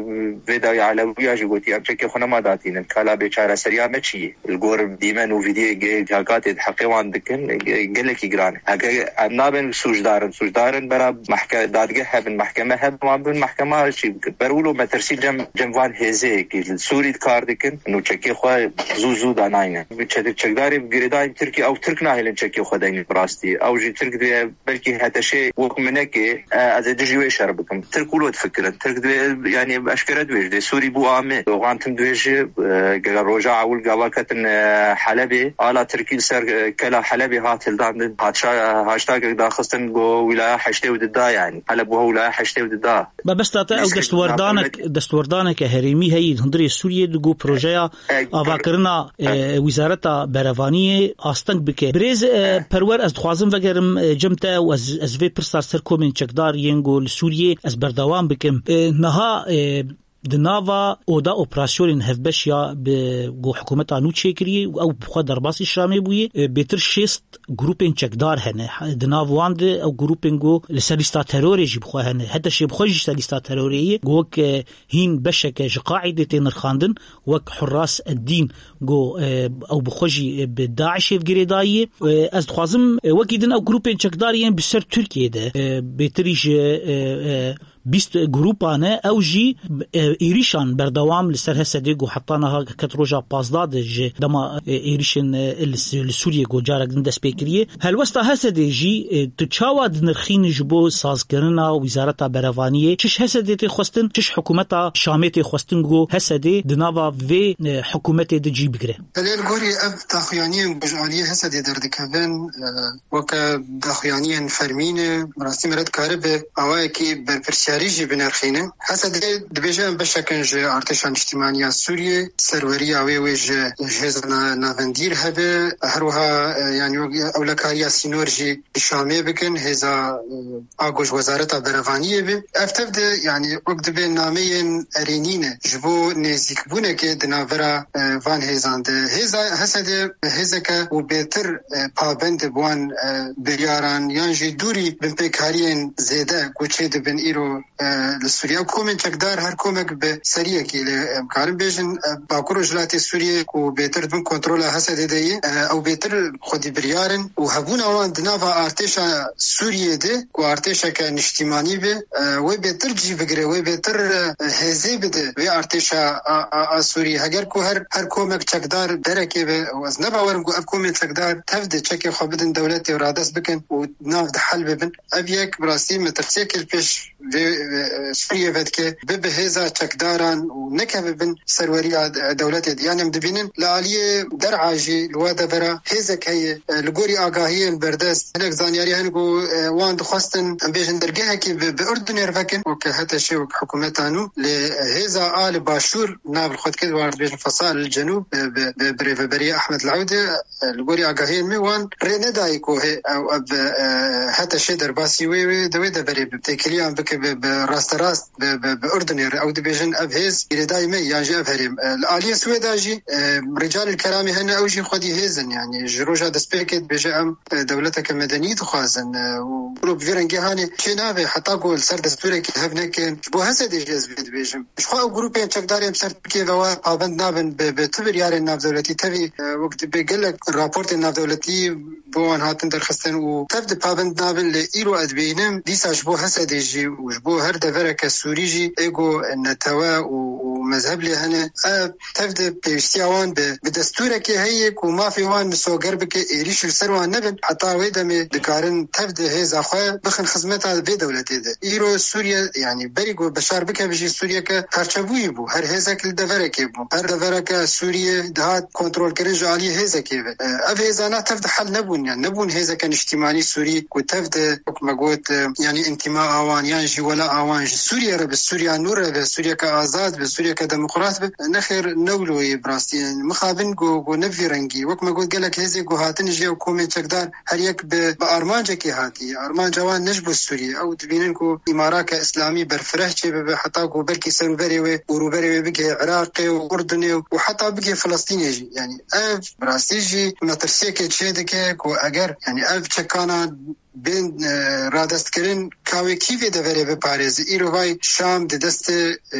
vê dawî Elewiya jî gotî em çekê xwe nema datînin. Kala bê çareseriya me çi ye? Li gor dîmen û vîdiyê ge-, cakatê di heqê wan dikin, ge-, gelekî giran e. Heke em nabin sûcdarin, sûcdarin bera mahke-, dadgeh hebin, mahkeme hebin, wan bin mahkema çî bikin. Ber wilo metirsî cem, cem van hêzê ki li Sûrî kar dikin, nû çekê xwe zû zû danayne. Bi çetir çekdarê bi girêdayî Tirkî, ew Tirk nahêlin çekê xwe deynin bi rastî. Ew jî Tirk diye belkî HTŞê wek minekê, e, ez ê dijî wê şer bikim. Tirk wilo difikirin. Tirk divê, yanî eşkere dibêje, dê Sûrî bû amê. Doxan tim dibêje, e, gere roja ewil gava ketin, e, Helebê, ala Tirkî li ser, e, kela Helebê hat hildandin. Hat şa-, hashtagek daxistin, got wilaya heştê û du da, yanî. Heleb wiha wilaya heştê û du da. Mebesta te ew Neyse, destwerdanek, navdewletî. Destwerdaneke herêmî heye hundirê Sûriyê, digo projeya E, avakirina, e, Wîzareta Berevaniyê asteng bike. Birêz, e, Perwer, ez dixwazim vegerim, e, cem te û ez, ez vê pirsa ser komên çekdar yên ku li Sûriyê ez berdewam bikim. E, niha, e, di nava oda operasyonên hevbeş ya bi ku hikûmeta nû çêkiriye û ew bi xwe derbasî Şamê bûye, e, bêtir şêst grûpên çekdar hene. Di nav wan de ew grûpên ku li ser lîsta terorê jî bi xwe hene. HTŞê bi xwe jî ser lîsta terorê ye. Ku wek, e, hîn beşeke ji Qaîdê tê nirxandin, wek Hurras Eddîn, ku, e, ew bi xwe jî, e, bi DAIŞê girêdayî ye. E, ez dixwazim, e, wekî din ew grûpên çekdar yên bi ser Tirkiyê de, e, bêtirî ji, e, e, bîst grûpa ne, ew jî, e, êrîşan berdewam li ser HSDê ku heta niha ket roja pazdeh de ji dema, e, êrîşên, e, li, li Sûriyê ku carek din dest pê kiriye. Helwesta HSDê jî, e, tu çawa dinirxînî ji bo sazkirina Wîzareta Berevaniyê? Çi ji HSDê tê xwestin, çi ji hikûmeta Şamê tê xwestin ku HSDê di nava vê, e, hikûmetê de cî bigire? Belê, li gorî ev daxuyaniyên ku ji aliyê HSDê derdikevin, e, weke daxuyaniyên fermî ne, bi rastî me re dikare bi awayekî berpirsiyarî jî binirxîne. HSDê dibêje em beşek in ji artêşa niştîmaniya Sûriyê, serweriya wê wê ji, ji hêza na-, navendî re hebe, her wiha, e, yanî wek ewlekariya sînor jî di Şamê bikin, hêza, e, a ku ji Wezareta Berevaniyê be. Ev tev de, yanî wek dibe nameyên erênî ne ji bo nêzîkbûnekê di navbera, e, van hêzan de. Hêza HSDê hêzeke û bêtir, e, pabend bi wan, e, biryaran yan jî dûrî binpêkhariyên zêde ku çê dibin îro, e, li Sûriye. Ew komên çekdar her komek bi seriyekî lê, e, em karin bêjin, e, Bakur Rojhilatê Sûriyê ku bêtir di bin kontrola HSDê de ye, e, ew bêtir xwedî biryar in û hebûna wan di nava artêşa Sûriyê de ku artêşeke niştîmanî be, e, wê bêtir cî bigire, wê bêtir, e, hêzê bide vê artêşa a, a, a Sûriyê. Heger ku her, her komek çekdar derekê be, ez ne bawer im ku ev komên çekdar tev de çekê xwe bidin dewletê û radest bikin û nav de hel bibin. Ev yek bi rastî metirsiyekê li pêş vê, e, Sûriyê vedike, bibe hêza çekdaran û nekeve bin serweriya de-, dewletê de. Yanî em dibînin li aliyê der'a jî li we devera hêzek heye, e, li gorî agahiyên berdest. Hinek zanyarî hene ku, e, wan dixwestin, em bêjin dergehekî bi, bi Urdunê re vekin, weke HTŞê wek hikûmeta nû. Lê hêza a li başûr nav li xwe dike, wan dibêjin Fasal el Cenûb, e, bi, bi, bi rêveberiya Ahmed Leûdê, e, li gorî agahiyên me wan rê nedayî ku hê-, ew, ev, e, HTŞê derbasî wê, wê, de wê deverê bi têkiliyan bike bi, e, rasterast bi, bi, bi Urdunê re. Ew dibêjin ev hêz girêdayî me yan jî ev herêm. E, li aliyê Swêda jî, e, Rîcalil Keramê hene, ew jî xwedî hêz in. Yanî ji roja destpêkê dibêje em, e, dewleteke medenî dixwazin. E, û grûp vî rengê hanê çê nabe heta ku li ser destûrekê hev nekin. Ji bo Hesedê jî ez vê dibêjim. Ji xwe ew grûpên çekdarên ser Tirkiyê ve wa pabend nabin bi, bi tu biryarên navdewletî. Tevî, e, wek dibê gelek raportên navdewletî bo wan hatin derxistin û tev di pabend nabin, lê îro ez dibînim dîsa ji bo Hesedê jî û ji bo her devereke Sûrî jî ê ku netewe û, û mezheb lê hene, ev tev di pêwîstiya wan bi, bi destûrekê heye ku mafê wan misoger bike, êrîş li ser wan nebin, heta wê demê dikarin tev di hêza xwe bixin xizmeta vê dewletê de. Îro Sûriye, yanî berî ku Beşar bikeve jî Sûriyeke parçebûyî bû. Her hêzek li deverekê bû. Her devereke Sûriyê dihat kontrolkirin ji aliyê hêzekê ve. E, ev hêzana tev de hel nebûn, yani nebûn hêzeke niştîmanî Sûrî ku tev de, wek me got, e, yani întîma a wan yan jî wela a wan ji Sûriye re bi, Sûriya nû re be, Sûriyeke azad be, Sûriyeke demokrat be. Nexêr, ne wilo yê bi rastî. Yani mixabin ku, ku ne vî rengî. Wek me got, gelek hêzê ku hatin jî ew komên çekdar her yek bi, bi armancekê hatiye. Armanca wan ne ji bo Sûriyê. Ew dibînin ku îmarake îslamî berfireh çêbibe, heta ku belkî ser û berê wê û rûberê wê bigihê Iraqê û Urdunê û, û heta bigihê Filistînê jî. Yani ev bi rastî jî metirsiyekê çêdike ku eger, yani ev çekana bên, e, radestkirin, ka wê kî vê deverê biparêze? Îro vay Şam di destê, e,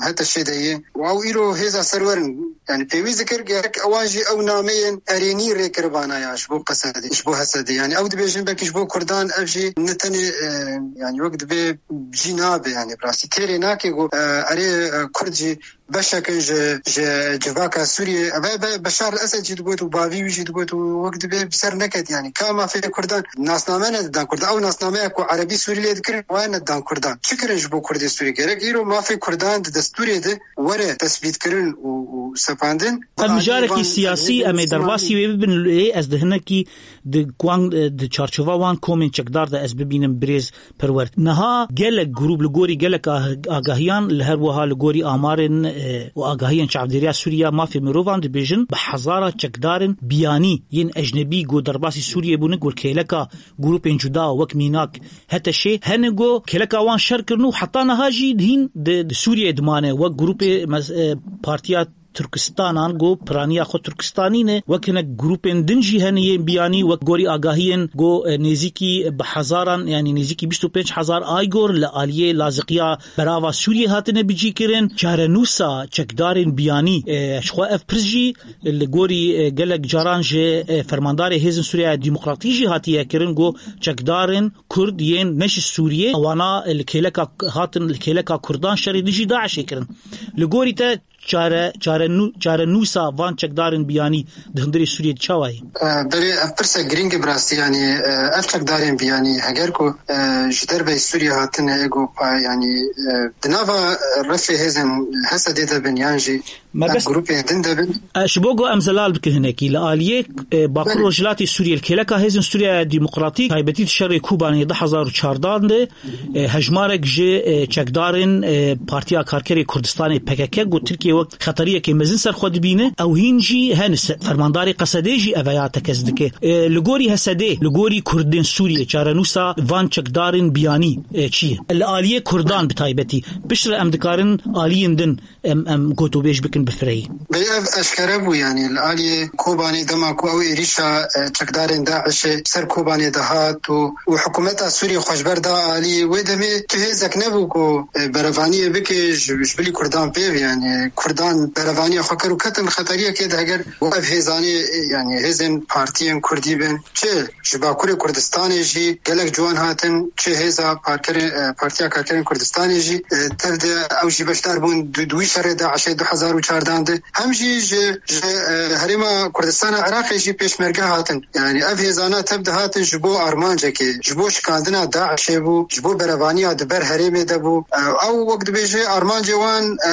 HTŞ'ê de ye. Û ew îro hêza serwer in. Yani pêwîst dikir gerek ewan jî ew nameyên erênî rê kiribana ya ji bo Qesedê, ji bo Hesedê. Yani ew dibêjin belkî ji bo Kurdan ev jî ne tenê, e, yani wek dibê cî nabe, yani bi rastî têrê nake ku, e, erê, e, Kurd jî beşek in ji, ji civaka Sûriyê. Ev e be-, Beşar el Esed jî digot û bavî wî jî digot û wek dibê bi ser neket, yani ka mafê Kurdan nasname nedidan Kurdan. Ew nasnameya ku Erebî Sûrî lê dikirin, waya nedidan Kurdan. Çi kirin ji bo Kurdê Sûrî? Gerek îro mafê Kurdan di destûrê de were tesbîtkirin û, û sepandin. Ev mijarekî siyasî, em ê derbasî wê bibin, lê ez di hinekî di wan, di çarçova wan komên çekdar de ez bibînim birêz Perwer. Niha gelek grûp li gorî gelek ah-, agahiyan, li her wiha li gorî amarên, e, û agahiyên Çavdêriya Sûriya Mafê Mirovan dibêjin, bi hezara çekdarên biyanî yên ecnebî ku derbasî Sûriyê bûne, ku kêleka grûpên cuda wek mînak HTŞ'ê hene ku kêleka wan şer kirin û heta niha jî hîn di, di Sûriyeyê dimane, wek grûpê mes-, e, Partiya Turkistanan ku piraniya xwe Turkistanî ne, wek hinek grûpên din jî hene yên biyanî, wek gorî agahiyên ku, e, nêzîkî bi hezaran, yani nêzîkî bîst û pênc hezar aygor li aliyê laziqiya berava Sûriyê hatine bicîkirin. Çarenûsa çekdarên biyanî, e, ji xwe ev pirs jî li gorî, e, gelek caran ji, e, fermandarê Hêzên Sûriya Demokratî jî hatiye kirin ku çekdarên Kurd yên ne ji Sûriyê, wana li kêleka, hatin li kêleka Kurdan şerê dijî DAIŞ'ê kirin. Li gorî te çare, çare nû-, çarenûsa van çekdarên biyanî di hundirê Sûriyê çawa ye? E, belê, ev pirsek girîng e bi rastî, yanî, e, ev çekdarên biyanî heger ku, e, ji derveyî Sûriyê hatine, ê ku pa-, yanî, e, di nava refê hêzên Hesedê de bin yan jî Me ev bes grûpên din de bin. E, ji bo ku em zelal bikin hinekî, li aliyê, e, Bakur Belê. Rojhilatê Sûriyê, li kêleka Hêzên Sûriya Demokratîk, taybetî di şerê Kobanê du hezar û çardan de, e, hejmarek ji, e, çekdarên, e, Partiya Karkerê Kurdistanê, P K K, ku Tirkiye wek xeteriyekê mezin ser xwe dibîne, ew hîn jî hene. Se-, fermandarê Qesedê jî ev ya tekez dike. E, li gorî Hesedê, li gorî Kurdên Sûriyê, çarenûsa van çekdarên biyanî, e, çi ye? Li aliyê Kurdan bi taybetî. Piştre em dikarin aliyên din em, em gotûbêj bikin bi firehî. Belê, ev eşkere bû, yanî li aliyê Kobanê, dema ku ew êrîşa, e, çekdarên DAIŞ'ê ser Kobanê dihat û, û hikûmeta Sûriyê xwe ji ber da alî, wê demê tu hêzek nebû ku, e, berevaniyê bike ji, ji bilî Kurdan pê ve, yanî Kurdan berevaniya xwe kir û ketin xeteriyekê de, heger ev hêzanê, e, yanî hêzên partiyên Kurdî bin, çi ji Bakurê Kurdistanê jî gelek ciwan hatin, çi hêza parkerê-, e, Partiya Karkerên Kurdistanê jî, e, tev de ew jî beşdar bûn di, di wî şerê DAIŞ'ê du hezar û çardan de. Hem jî ji, ji, e, Herêma Kurdistana Iraqê jî pêşmerge hatin. Yani ev hêzana tev de hatin ji bo armancekê, ji bo şikandina DAIŞ'ê bû, ji bo berevaniya di ber herêmê de bû. E, ew wek dibêje armancê wan, e,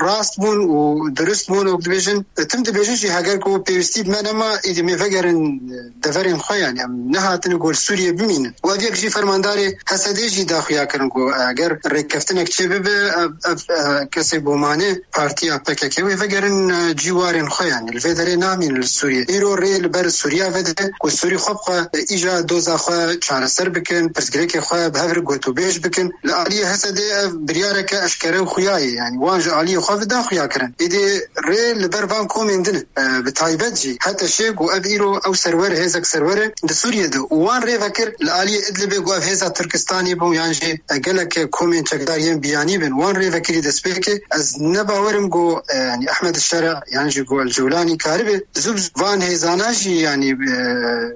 rast bûn û dirust bûn, wek dibêjin. E, tim dibêjin jî heger ku pêwîstî bi me nema, îdî me vegerin, e, deverên xwe, yani em nehatine ku li Sûriyê bimînin. Û ev yek jî fermandarê Hesedê jî daxuya kirin ku eger rêkeftinek çê bibe, ev, ev, e, kesê bo mane partiya P K Çekê wê vegerin, e, cîwarên xwe, yanî li vê derê namînin li Sûriyê. Îro rê li ber Sûriya vedide ku Sûrî xwe bi xwe, e, îja doza xwe çareser bikin, pirsgirêkê xwe bi hev re gotûbêj bikin. Li aliyê Hesedê ev biryareke eşkere û xuya ye. Yanî wan ji aliyê xwe ve da xuya kirin. Êdî rê li ber van komên din e, e, bi taybet jî HTŞê ku ev îro ew serwer, hêzek serwer e di Sûriyê de û wan rê vekir li aliyê Idlibê ku ev hêza Tirkistanî bû yan jî, e, gelek komên çekdar yên biyanî bin, wan rê vekirî destpêkê. Ez ne bawer im ku, e, yanî Ehmed Şera yan jî ku El Cewlanî karibe zû bi zû van hêzana jî, yanî, e,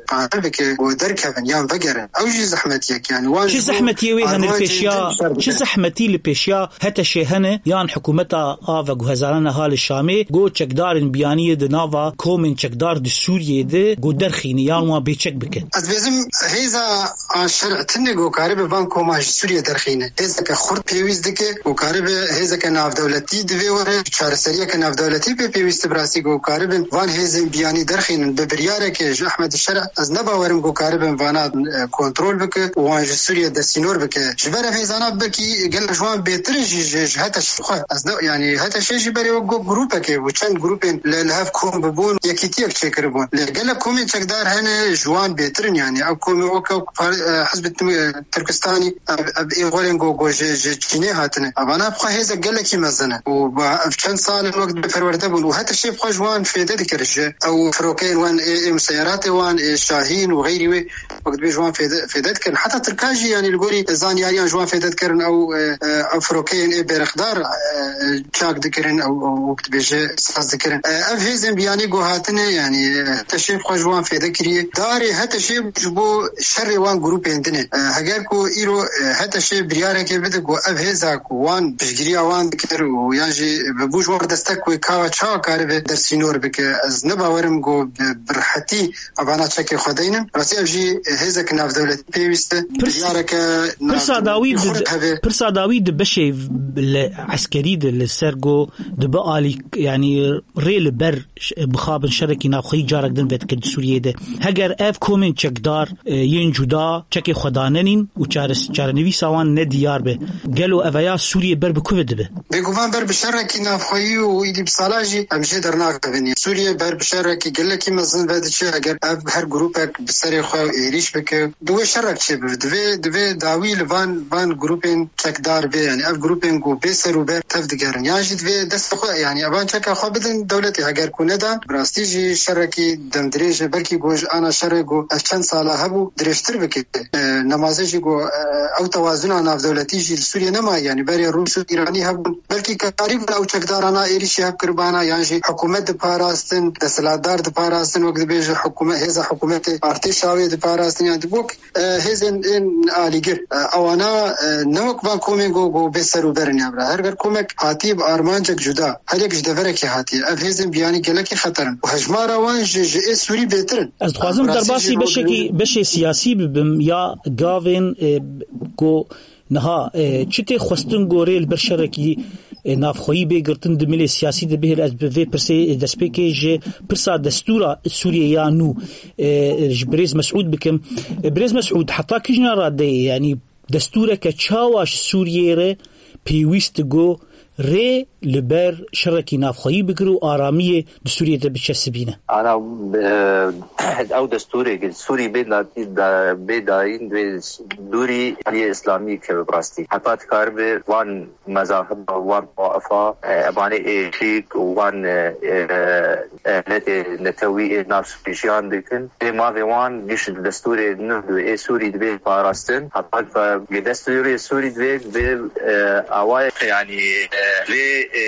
qane bike ku derkevin yan vegerin. Ew jî zehmetiyek, yanî wan Çi ji bo zehmetiyê wê hene li armancên pêşiya, din şer çi bikin. Zehmetî li pêşiya HTŞê hene yan hikûmeta a veguhezarana ha li Şamê, ku çekdarên biyaniyê di nava komên çekdar di Sûriyê de ku derxîne yan wan bêçek bikin? Ez bêzim hêza a şer'tinê ku karibe van koma ji Sûriyê derxîne. Hêzeke xurt pêwîst dike ku karibe hêzeke navdewletî divê were, çareseriyeke navdewletî pê pêwîst e bi rastî ku karibin van hêzên biyanî derxînin. Bi biryareke ji Ehmed Şer ez ne bawerim ku karibin vana, e, kontrol bike û wan ji Sûriyê desînor bike. Ji ber ev hêzana belkî gelek ji wan bêtir in jî ji, ji HTŞê xwe. Ez ne, yanî HTŞê jî berê wek got grûpekê bû, çend grûpên li, li hev kom bibûn, yekîtiyek çêkiribûn. Lê gelek komên çekdar hene ji wan bêtir in, yanî ev komê weke par-, e, Hizb ut-, e, Tirkistanî, ev, ev ê xwerên ku, ku ji, ji Çînê hatine. Evana bi xwe hêzek gelekî mezin e. Û ba, ev çend sal in wek dibê perwerde bûn û HTŞê bi xwe ji wan fêde dikir. Ji ew firokeyên wan ê, ê museyeratê wan, ê Şahîn û xeyrî wê wek dibê ji wan fêde, fêde dikirin. Heta Tirkan jî, yanî li gorî zanyariyan ji wan fêde dikirin, ew, e, e, ew firokeyên ê bêrexdar, e, e, çak dikirin, ew, ew wek dibêje saz dikirin. E, ev hêzên biyanî ku hatine, yanî, e, HTŞê bi xwe ji wan fêde kiriye. Darê HTŞê ji bo şerê wan grûpên din e. E, heger ku îro, e, HTŞê biryareke bide ku ev hêza ku wan piştgiriya wan dikir û yan jî bi bû ji wan destek wê ka çawa karibe dersînor bike. Ez ne bawerim ku bi, bi rehetî evana çekê xwe deynin. Rastî ev jî hêzek navdewletî pêwîst e. Pirs-, Biryareke pirsa dawî navdewletî di, xurt hebe. Pirsa dawî di beşê li eskerî de li ser ku dibe alî, yanî rê li ber ş-, bixabin şerekî navxweyî carek din vedikir di Sûriyê de. Heger ev komên çekdar, e, yên cuda çekê xwe danenîn û çares-, çarenivîsa wan ne diyar be, gelo eveya Sûriyê ber bi ku ve dibe? Bêguman ber bi şerekî navxweyî û êdî bi sala jî em jê dernakevin. Sûriye ber bi şerekî gelekî mezin ve diçe, eger ev her grûpek bi serê xwe êrîş bike, divê şerek çêbibe. Divê, divê dawî li van, van grûpên çekdar bê, yanî ev grûpên ku bê ser û ber tev digerin. Yan jî divê destê xwe, yanî evan çeka xwe bidin dewletê, heger ku nedan, bi rastî jî şerekî demdirêj e, belkî ku ji ana şerê ku ev çend sala hebû dirêjtir bike. E, nemaze jî ku, e, ew tewazuna navdewletî jî li Sûriyê nema, yanî berê Rûs û Îranî hebûn. Belkî karîbûn ew çekdarana êrîşî hev kiribana, yan jî hikûmet diparastin, desthilatdar diparastin, wek dibêje hikûmet, hêza hikûmetê artêşa wê diparastin, yan dibûk, e, hêzên ên alîgir. E, ewana, e, ne wek van komên ku, ku bê ser û berin ya bira. Her, her komek hatiye bi armancek cuda. Her yek ji deverekê hatiye. Ev hêzên biyanî gelekî xeter in. Û hejmara wan ji, ji ê Sûrî bêtir in. Ez dixwazim Bi rastî derbasî jî beşekî, beşê siyasî bibim ya gavên, e, ku niha, e, çi tê xwestin gorê li ber şerekî, e, navxweyî bê girtin di milê siyasî de bihêl. Ez bi vê pirsê, e, destpêkê ji pirsa destûra Sûriyê ya nû, e, ji birêz Mesûd bikim. E, birêz Mesûd, heta kîjna radeyê, yanî destûreke çawa ji Sûriyê re pêwîst e ku rê li ber şerekî navxweyî bigire û aramiyê di Sûriyê de biçesibîne? Ana, e, ew destûrê ku Sûrî bê da-, da-, bê dayîn, divê dûrî aliyê Îslamî keve bi rastî. Heta dikaribe van mezahiba, van tawaifa, e, evanê ê şîk û van, e, e, ehlete netewî ê nav Sûrî jiyan dikin. Vê mavê wan giş di destûrê nû ê Sûrî dibê parastin. Heta ku destûrê Sûrî dibê, dibê, e, awayek, yanî, e, vê, e,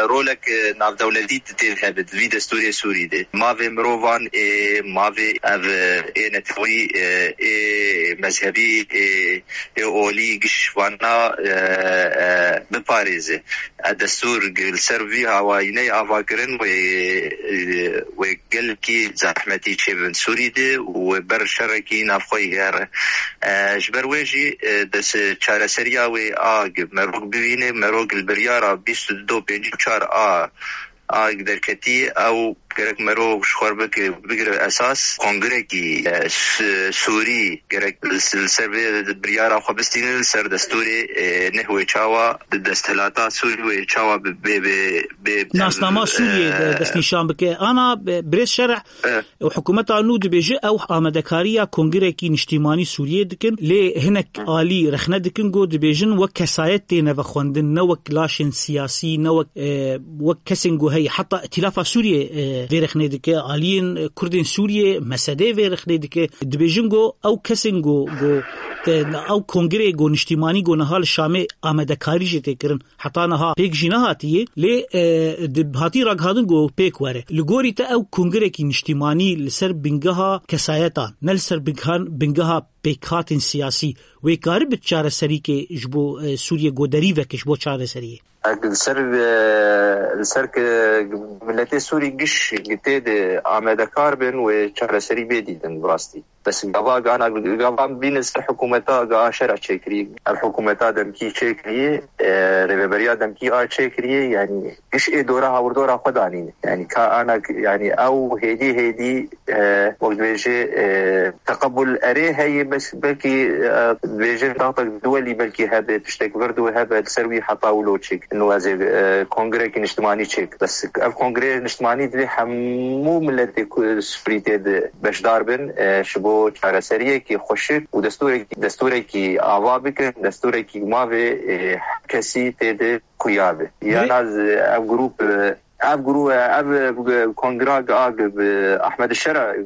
rolek, e, navdewletî tê hebe di vî destûrê Sûrî de. Mavê mirovan ê, mavê ev, e, ê netewî, e, ê mezhebî, ê, ê olî giş vana, e, e, biparêze. E, destûr gi-, li ser vî hawayîneyê ava kirin wê, e, wê gelkî zehmetî çêbin Sûrî de û wê ber şerekî navxweyî here. E, ji ber wê jî, e, des-, çareseriya wê a gi-, merok bibîne, merok li biryara bîst û du pêncî û çar a, a derketî ew Gerek mero ji xwe bike, bigire esas. Kongrekî, e, s-, Sûrî gerek li s-, li ser vê biryara xwe bistînin, li ser destûrê, e, neh wê çawa di desthilata Sûrî wê çawa bi, bê, bê, bê, Nasnama e, Sûriyê de destnîşan bike. Ana, e, birêz Şereh, e, û hikûmeta nû dibêje ew amadekariya kongrekî niştîmanî Sûriyê dikin, lê hinek alî rexne dikin ku dibêjin wek kesayet têne vexwendin, ne wek laşên siyasî, ne wek, e, wek kesên ku heye. Heta Îtîlafa Sûriyê, e, vê rexnê dike, aliyên, e, Kurdên Sûriyê, M S D vê rexnê dike. Dibêjin ku ew kesên ku, ku, e, ew kongreyê ku niştîmanî ku niha li Şamê amadekarî jê tê kirin, heta niha pêk jî nehatiye, lê, e, di, hatî ragihandin ku pêk were. Li gorî te ew kongrekî niştîmanî li ser bingeha kesayetan, ne li ser bingehan, bingeha pêkhatên siyasî, wê karibe çareserîkê ji bo, e, Sûriyê goderî veke ji bo çareseriyê? Li ser, e, li ser ki miletê Sûrî giş tê de amadekar bin wê çareserî bê dîtin bi rastî. Bes gava gana, gava bîne ser hikûmeta, gava şera çêkirî. Ev hikûmeta demkî çêkirî, e, rêveberiya demkî a çêkirî, yanî giş ê dora hawirdora xwe danîne. Yanî ka ana, yanî ew hêdî hêdî, e, wek dibêje, e, teqebul erê heye, bes belkî, e, dibêje taxtek duwelî belkî hebe, tiştek vir dû hebe, li ser wî heta wilo çêk. Ino ez ê, e, kongrekî niştimanî çêk. Bes ev kongreyê niştimanî divê hemû miletê ku Sûrî tê de beşdar bin, e, ji bo çareseriyekî xweşik û destûrekî, destûrekî ava bikin, destûrekî mavê, e, her kesî tê de xuya be. Yana ev grûp, e, ev grû-, ev, e, kongra a bi Ahmed Şera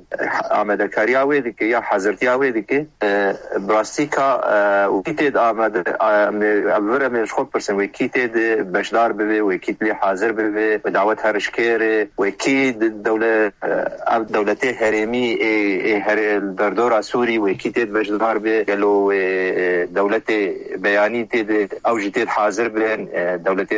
amadekariya wê dike ya hazirtiya wê dike. E, bi rastî ka, e, wekî tê de amade, e, em ê, em vir em ê ji xwe pirsin, wekî tê de beşdar bibe, wekî lê hazir bibe, wê dawet herişkêre, wekî di dewle-, e, ev dewletê herêmî ê, ê herê derdora Sûrî, wekî tê de beşdar be, gelo wê, e, dewletê beyanî tê de, ew jî tê de hazir bin, e, dewletê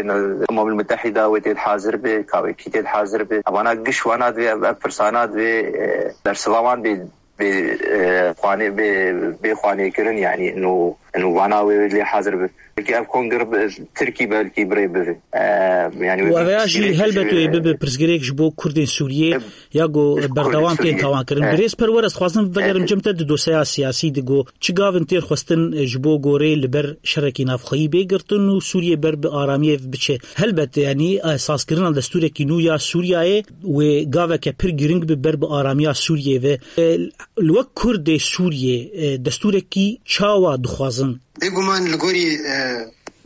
Umemul Mutehîda wê tê de hazir be, ka wekî tê de hazir be. Evana giş wana divê, ev, ev pirsana divê, e, bersiva wan bê bê, e, xwanê, bê, bê xwanê kirin, yanî ino, ino vana wê lê hazir bi. Belkî ev kongre bi, Tirkî belkî bi rê bibe. E, yanî wê Û eveya jî pirsgirêk helbet ji wê bibe pirsgirêk ji bo Kurdên Sûriyê, e, ya ku ji Kurdên berdewam tên Sûriyê. Tawan kirin. E. Birêz Perwer, ez dixwazim vegerim E. cem te di dosyeya siyasî de ku çi gavin têr xwestin, e, ji bo gorê li ber şerekî navxweyî bê girtin û Sûriyê ber bi aramiyê biçe. Helbet, yanî, e, sazkirina destûrekî nû ya Sûriyeyê wê gaveke pir girîng bi ber bi aramiya Sûriyê ve. E, li wek Kurdê Sûriyê, e, destûrekî çawa dixwazin? Bêguman li gorî, e,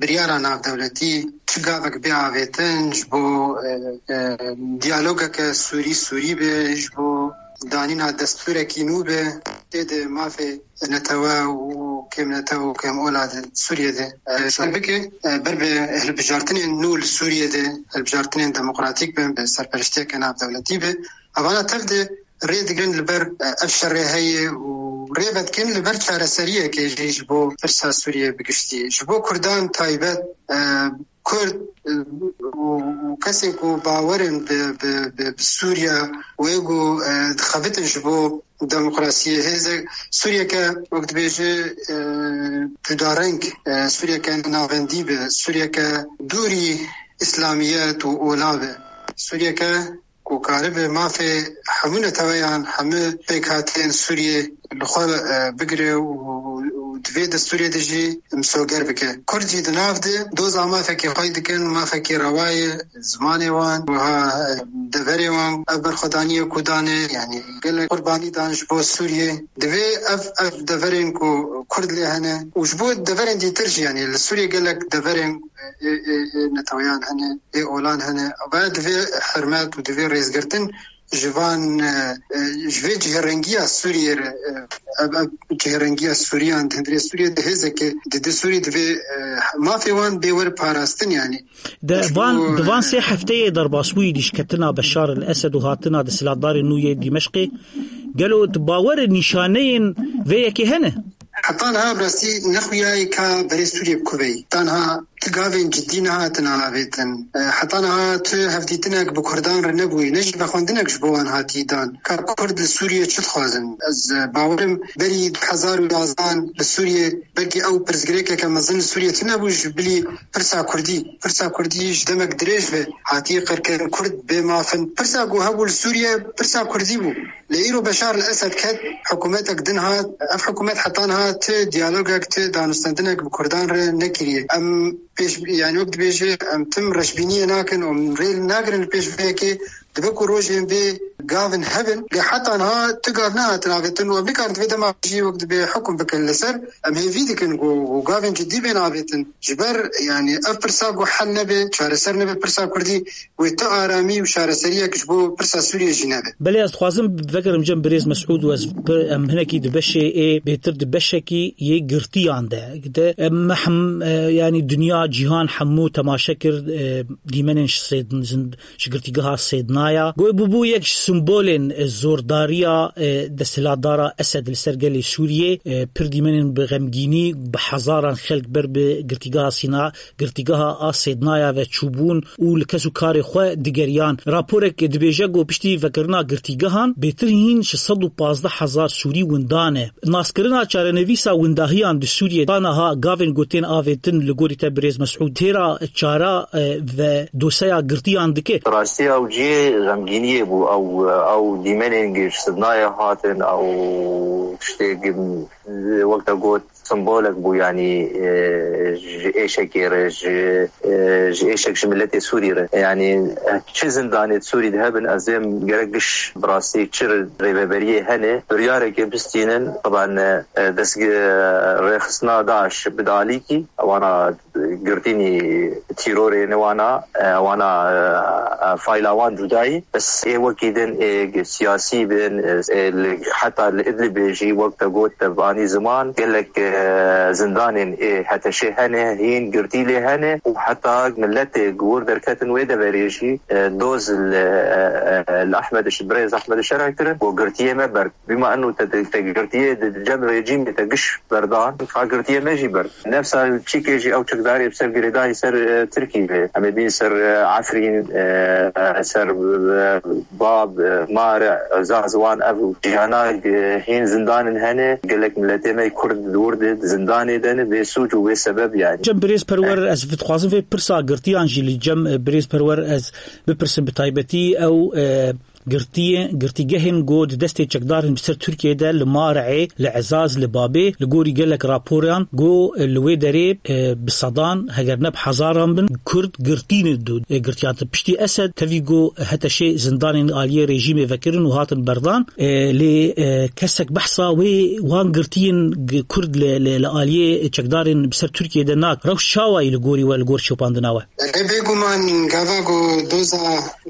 biryara navdewletî çi gavek bê avêtin ji bo, e, e, diyalogeke Sûrî-Sûrî be, ji bo danîna destûrekî nû be, tê de mafê netewe û kêmnetew û kêmola di Sûriyê de, e, ser bike, e, ber bi hilbijartinên nû li Sûriyê de, hilbijartinên demokratîk bin, bi serpereştiyeke navdewletî be. Evana tev de rê digirin li ber, e, ev şerê heye û rê vedikin li ber çareseriyekê jî ji bo pirsa Sûriyê bi giştî. Ji bo Kurdan taybet, e, Kurd, e, û, û kesên ku bawer in bi, bi, bi, bi Sûriye wê ku, e, dixebitin ji bo demokrasiyê. Hêzek Sûriyeke, wek dibêje, e, cudareng, e, Sûriyeke navendî be, Sûriyeke dûrî îslamiyet û ola be. Sûriyeke ku karibe mafê hemû neteweyan, hemû pêkhateyên Sûriyê li xwe, e, bigire û, û di vê destûrê de jî misoger bike. Kurd jî di nav de doza mafekî xwe dikin, mafekî rewa ye, zimanê wan, wiha, e, deverê wan, ev berxwedaniyê ku dane, yanî gelek qurbanî dan ji bo Sûriyê. Divê ev, ev deverên ku Kurd lê hene û ji bo deverên dîtir jî, yanî li Sûriyê gelek deverên ê, ê, ê neteweyan hene, ê olan hene. Ve divê hurmet û divê rêzgirtin ji van, e, e, ji vê cihêrengiya Sûriyê re, e, ev, ev cihêrengiya Sûriyan di hundirê Sûriyê de hêzeke dide Sûrî divê, e, mafê wan bê were parastin, yanî. Di Ji van, bo, di van e, sê hefteyê derbasbûyî dîşketina Beşar el Esed û hatina desthilatdarên nû yê Dîmeşqê, gelo tu bawer nîşaneyên vê yekê hene? Heta niha bi rastî nexuyaye ka berê Sûriyê bi ku beyî. Tanha Tu gavên cidî nehatin avêtin. E, heta niha tu hevdîtinek bi Kurdan re nebûyî, ne jî vexwendinek ji bo wan hatî dan. Ka Kurd li Sûriyê çi dixwazin? Ez, e, bawerim berî du hezar û yazdan li Sûriyê belkî ew pirsgirêkeke mezin li Sûriyê tune bû ji bilî pirsa Kurdî. Pirsa Kurdî ji demek dirêj ve hatiye qirkirin. Kurd bê maf in. Pirsa ku hebû li Sûriyê pirsa Kurdî bû. Lê îro Beşar el Esed ket, hikûmetek din hat. Ev hikûmet heta niha ti diyalogek, ti danûstendinek bi Kurdan re nekiriye. Em pêş, yani wek dibêje, em tim reşbîniyê nakin û em rê nagirin li pêş vê yekê. Dibe ku rojên vê gavin hebin, lê heta niha tu gav nehatin avêtin û em nikarin di vê dema jî wek dibê hukm bikin li ser. Em hêvî dikin ku, ku gavên cidî bên avêtin. Ji ber, yani, ev pirsa ku hel nebe, çareser nebe pirsa Kurdî, wê tu aramî û çareseriyek ji bo pirsa Sûriyê jî nebe. Belê ez dixwazim vegerim cem birêz Mesûd û ez pir, em hinekî di beşê ê bêtir di beşekî yê girtiyan de. De em mehm, e, yani dinya, cîhan hemû temaşe kir, e, dîmenên ji sêd-, ji girtîgeha Sêdnaya. Goy bûbû yek ji simbolên, e, zordariya, e, desthilatdara Esed li ser gelê Sûriyê. E, pir dîmenên bi xemgînî, bi hezaran xelk ber bi girtîgeha Sîna, girtîgeha a Sêdnaya ve çûbûn û li kes û karê xwe digeriyan. Raporek dibêje ku piştî vekirina girtîgehan bêtir hîn ji sed û pazdeh hezar Sûrî winda ne. Naskirina çarenivîsa windahiyan di Sûriyê ta niha gavên ku tên avêtin li gorî te birêz Mesûd têra çara, e, ve doseya girtiyan dike? Rastî ew cihê xemgîniyê bû, ew, ew dîmenên gi ji Sêdnayê hatin, ew tiştê gi, wek te got, simbolek bû, yanî, e, ji êşekê re, ji, e, ji êşek ji miletê Sûrî re. Yanî, e, çi zindanê Sûrî de hebin, ez êm gerek giş bi rastî çi rêveberiyê hene, biryarekê bistînin, taban, e, dest, e, rêxistina DAIŞ bide alîkî, ewana girtînî tîrorê ne wana, e, wana, e, e, fayla wan cudayî. Bes ê wekî din ê siyasî bin, e, ê li, heta li Idlibê jî wek te got te anî ziman, gelek, e, zindanên ê HTŞê hene, hîn girtî lê hene û heta miletê wir derketin wê deverê jî, e, doz li, e, e, li Ehmed, birêz Ehmed Şera kirin, ku girtiyê me ber. Bîma eno te, te, te girtiyê di cem rejîmê te giş berdan, ka girtiyê me jî ber. Nefsa çîkê jî ew çekdarê bi ser girêdayî ser, e, Tirkî ve. Em ê bîn ser, e, Efrîn, e, ser, e, Bab, e, Mare, Zazwan, ev ciyana, e, hîn zindanên hene. Gelek miletê me Kurd li wir de zindanê de ne, bê sûc û bê sebeb yani. Cem birêz Perwer, ez dixwazim vê pirsa girtiyan jî li cem, e, birêz Perwer ez bipirsim bi taybetî ew, e, girtiyê, girtîgehên ku di destê çekdarin bi ser Tirkiyê de li Mare'ê, li Ezaz, li Babê, li gorî gelek raporan ku li wê derê, e, bi sedan, heger ne bi hezaran bin, Kurd girtî ne du, e, girtiyan. Piştî Esed tevî ku HTŞê zindanên aliyê rejîmê vekirin û hatin berdan, e, lê, e, kesek behsa wê wan girtiyên g-, Kurd li, li, li aliyê çekdarên bi ser Tirkiyê de nak. Rewş çawa yî li gorî we, li gor şopandina we? Erê, bêguman gava ku doza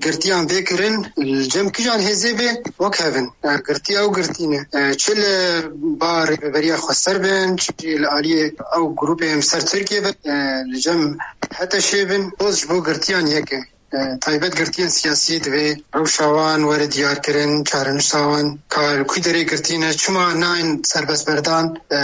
girtiyan vê kirin, li cem kijan hêzê bê, wek hev in. E, girtiya ew girtî ne. E, çi li ba rêveberiya xweser bin, çi jî li aliyê ew grûpê em ser Tirkiye bin, e, li cem HTŞê bin, doz ji bo girtiyan yek e. E, taybet girtiyên siyasî divê rewşa wan were diyarkirin, çarenûsa wan ka li kû derê girtî ne, çima nayên serbestberdan. E,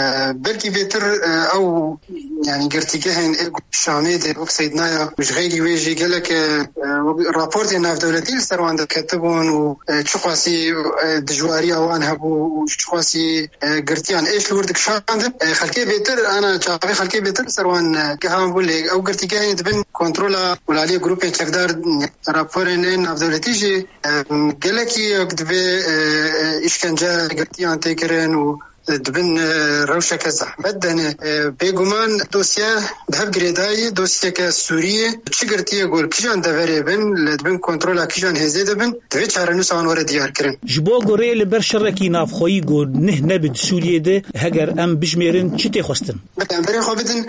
belkî bêtir, e, ew, yani, girtîgehên ê Şamê de wek Seydnaya û ji xeyrî wê jî gelek, e, e, wek raportên navdewletî li ser wan derketibûn û, e, çiqasî, e, dijwariya wan hebû û çiqasî, e, girtiyan êş li wir dikişandin. E, xelkê bêtir, ana çavê xelkê bêtir li ser wan, e, gehan bû, lê ew girtîgehên dibin kontrola û li aliyê grûpên çekdar, e, raporên ên navdewletî jî, e, gelekî wek divê, e, e, îşkence girtiyan tê kirin û dibin, e, rewşeke zehmet de ne. E, bêguman dosye bi hev girêdayî, dosyeke Sûriyê, çi girtiyê ku li kîjan deverê bin, li dibin kontrola kîjan hêzê de bin, divê çarenûsa wan were diyarkirin. Ji bo ku rê li ber şerekî navxweyî ku nih nebe di Sûriyê de, heger em bijmêrin, çi tê xwestin? Em berê xwe bidin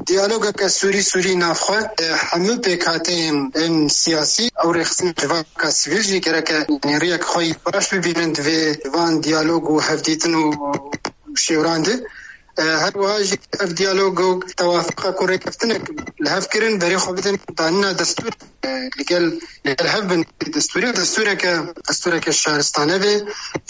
diyalogeke Sûrî-Sûrî navxwe, e, hemû pêkhateyên ên siyasî, ew rêxistin civaka sivîl jî gereke, yanî, riyek xwe yî baş bibînin di vê van diyalog û hevdîtin û şêwran de. E, her wiha jî ev diyalog û tewafiqa ku rêkeftinek li hev kirin, berê xwe bidin danîna destûr, e, li gel, li gel hev bin destûrê. Destûreke, destûreke şaristane be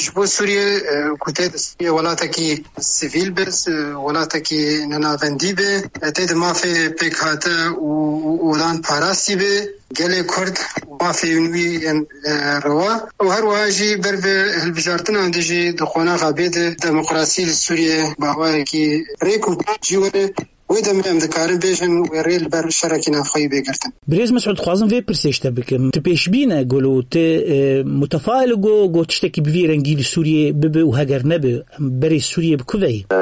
ji bo Sûriyê, e, ku tê di Sûriyê welatekî sivîl be, s-, welatekî nenavendî be, e, tê di mafê pêkhate û, û, û olan parastî be. Gelê Kurd û mafê wî yên, e, rewa û her wiha jî ber bi hilbijartinan de jî di qonaxa bê de demokrasî li Sûriyê bawerekî rêk û pêk jî were. Wê demê em dikarin bêjin wê rê li ber şerekî navxweyî bê girtin. Birêz Mesûd, dixwazim vê pirsê ji te bikim. Tu pêşbîn e, gelo tu, e, mutefail e, go, go tiştekî bi vî rengî li Sûriyê bibe û heger nebe, em berê Sûriyê bi ku veyî? E,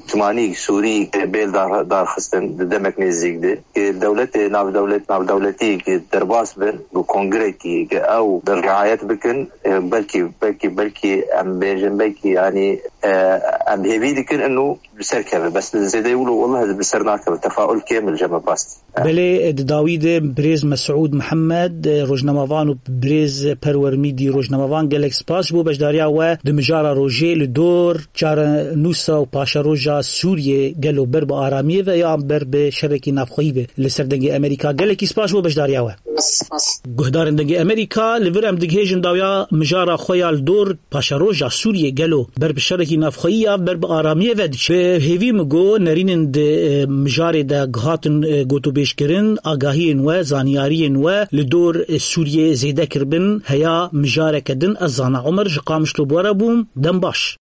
timanî Sûrî bê li dar, darxistin di demek nêzîk de. Ke dewletê navdewlet-, navdewletî ke derbas bin bi kongrekî ke ew bi riayet bikin, e, belkî, belkî, belkî em bêjin, belkî, yanî, e, em hêvî dikin inu bi ser keve. Bes li zêdeyî wilo, wallah, bi ser nakeve. Tefaul kêmil ji me past. Belê, e, di dawî de birêz Mesûd Mihemed, e, rojnamevan û birêz Perwer Mîdî rojnamevan, gelek spas ji bo beşdariya we di mijara rojê li dor çarenûsa û paşeroja Sûriyê, gelo ber bi aramiyê ve yan ber bi şerekî navxweyî ve li ser Dengê Amerîka. Gelekî spas ji bo beşdariya we. Spas. Guhdarên Dengê Amerîka, li vir em digihêjin dawiya mijara xwe ya li dor paşeroja Sûriyê, gelo ber bi şerekî navxweyî ya ber bi aramiyê ve diçe. Bi hêvî min got nerînin di, e, mijarê de hatin, e, gotûbêjkirin, agahiyên we, zanyariyên we li dor, e, Sûriyê zêde kiribin, heya mijareke din ez zana. Omer ji Qamişlo bi we re bûm, dem baş.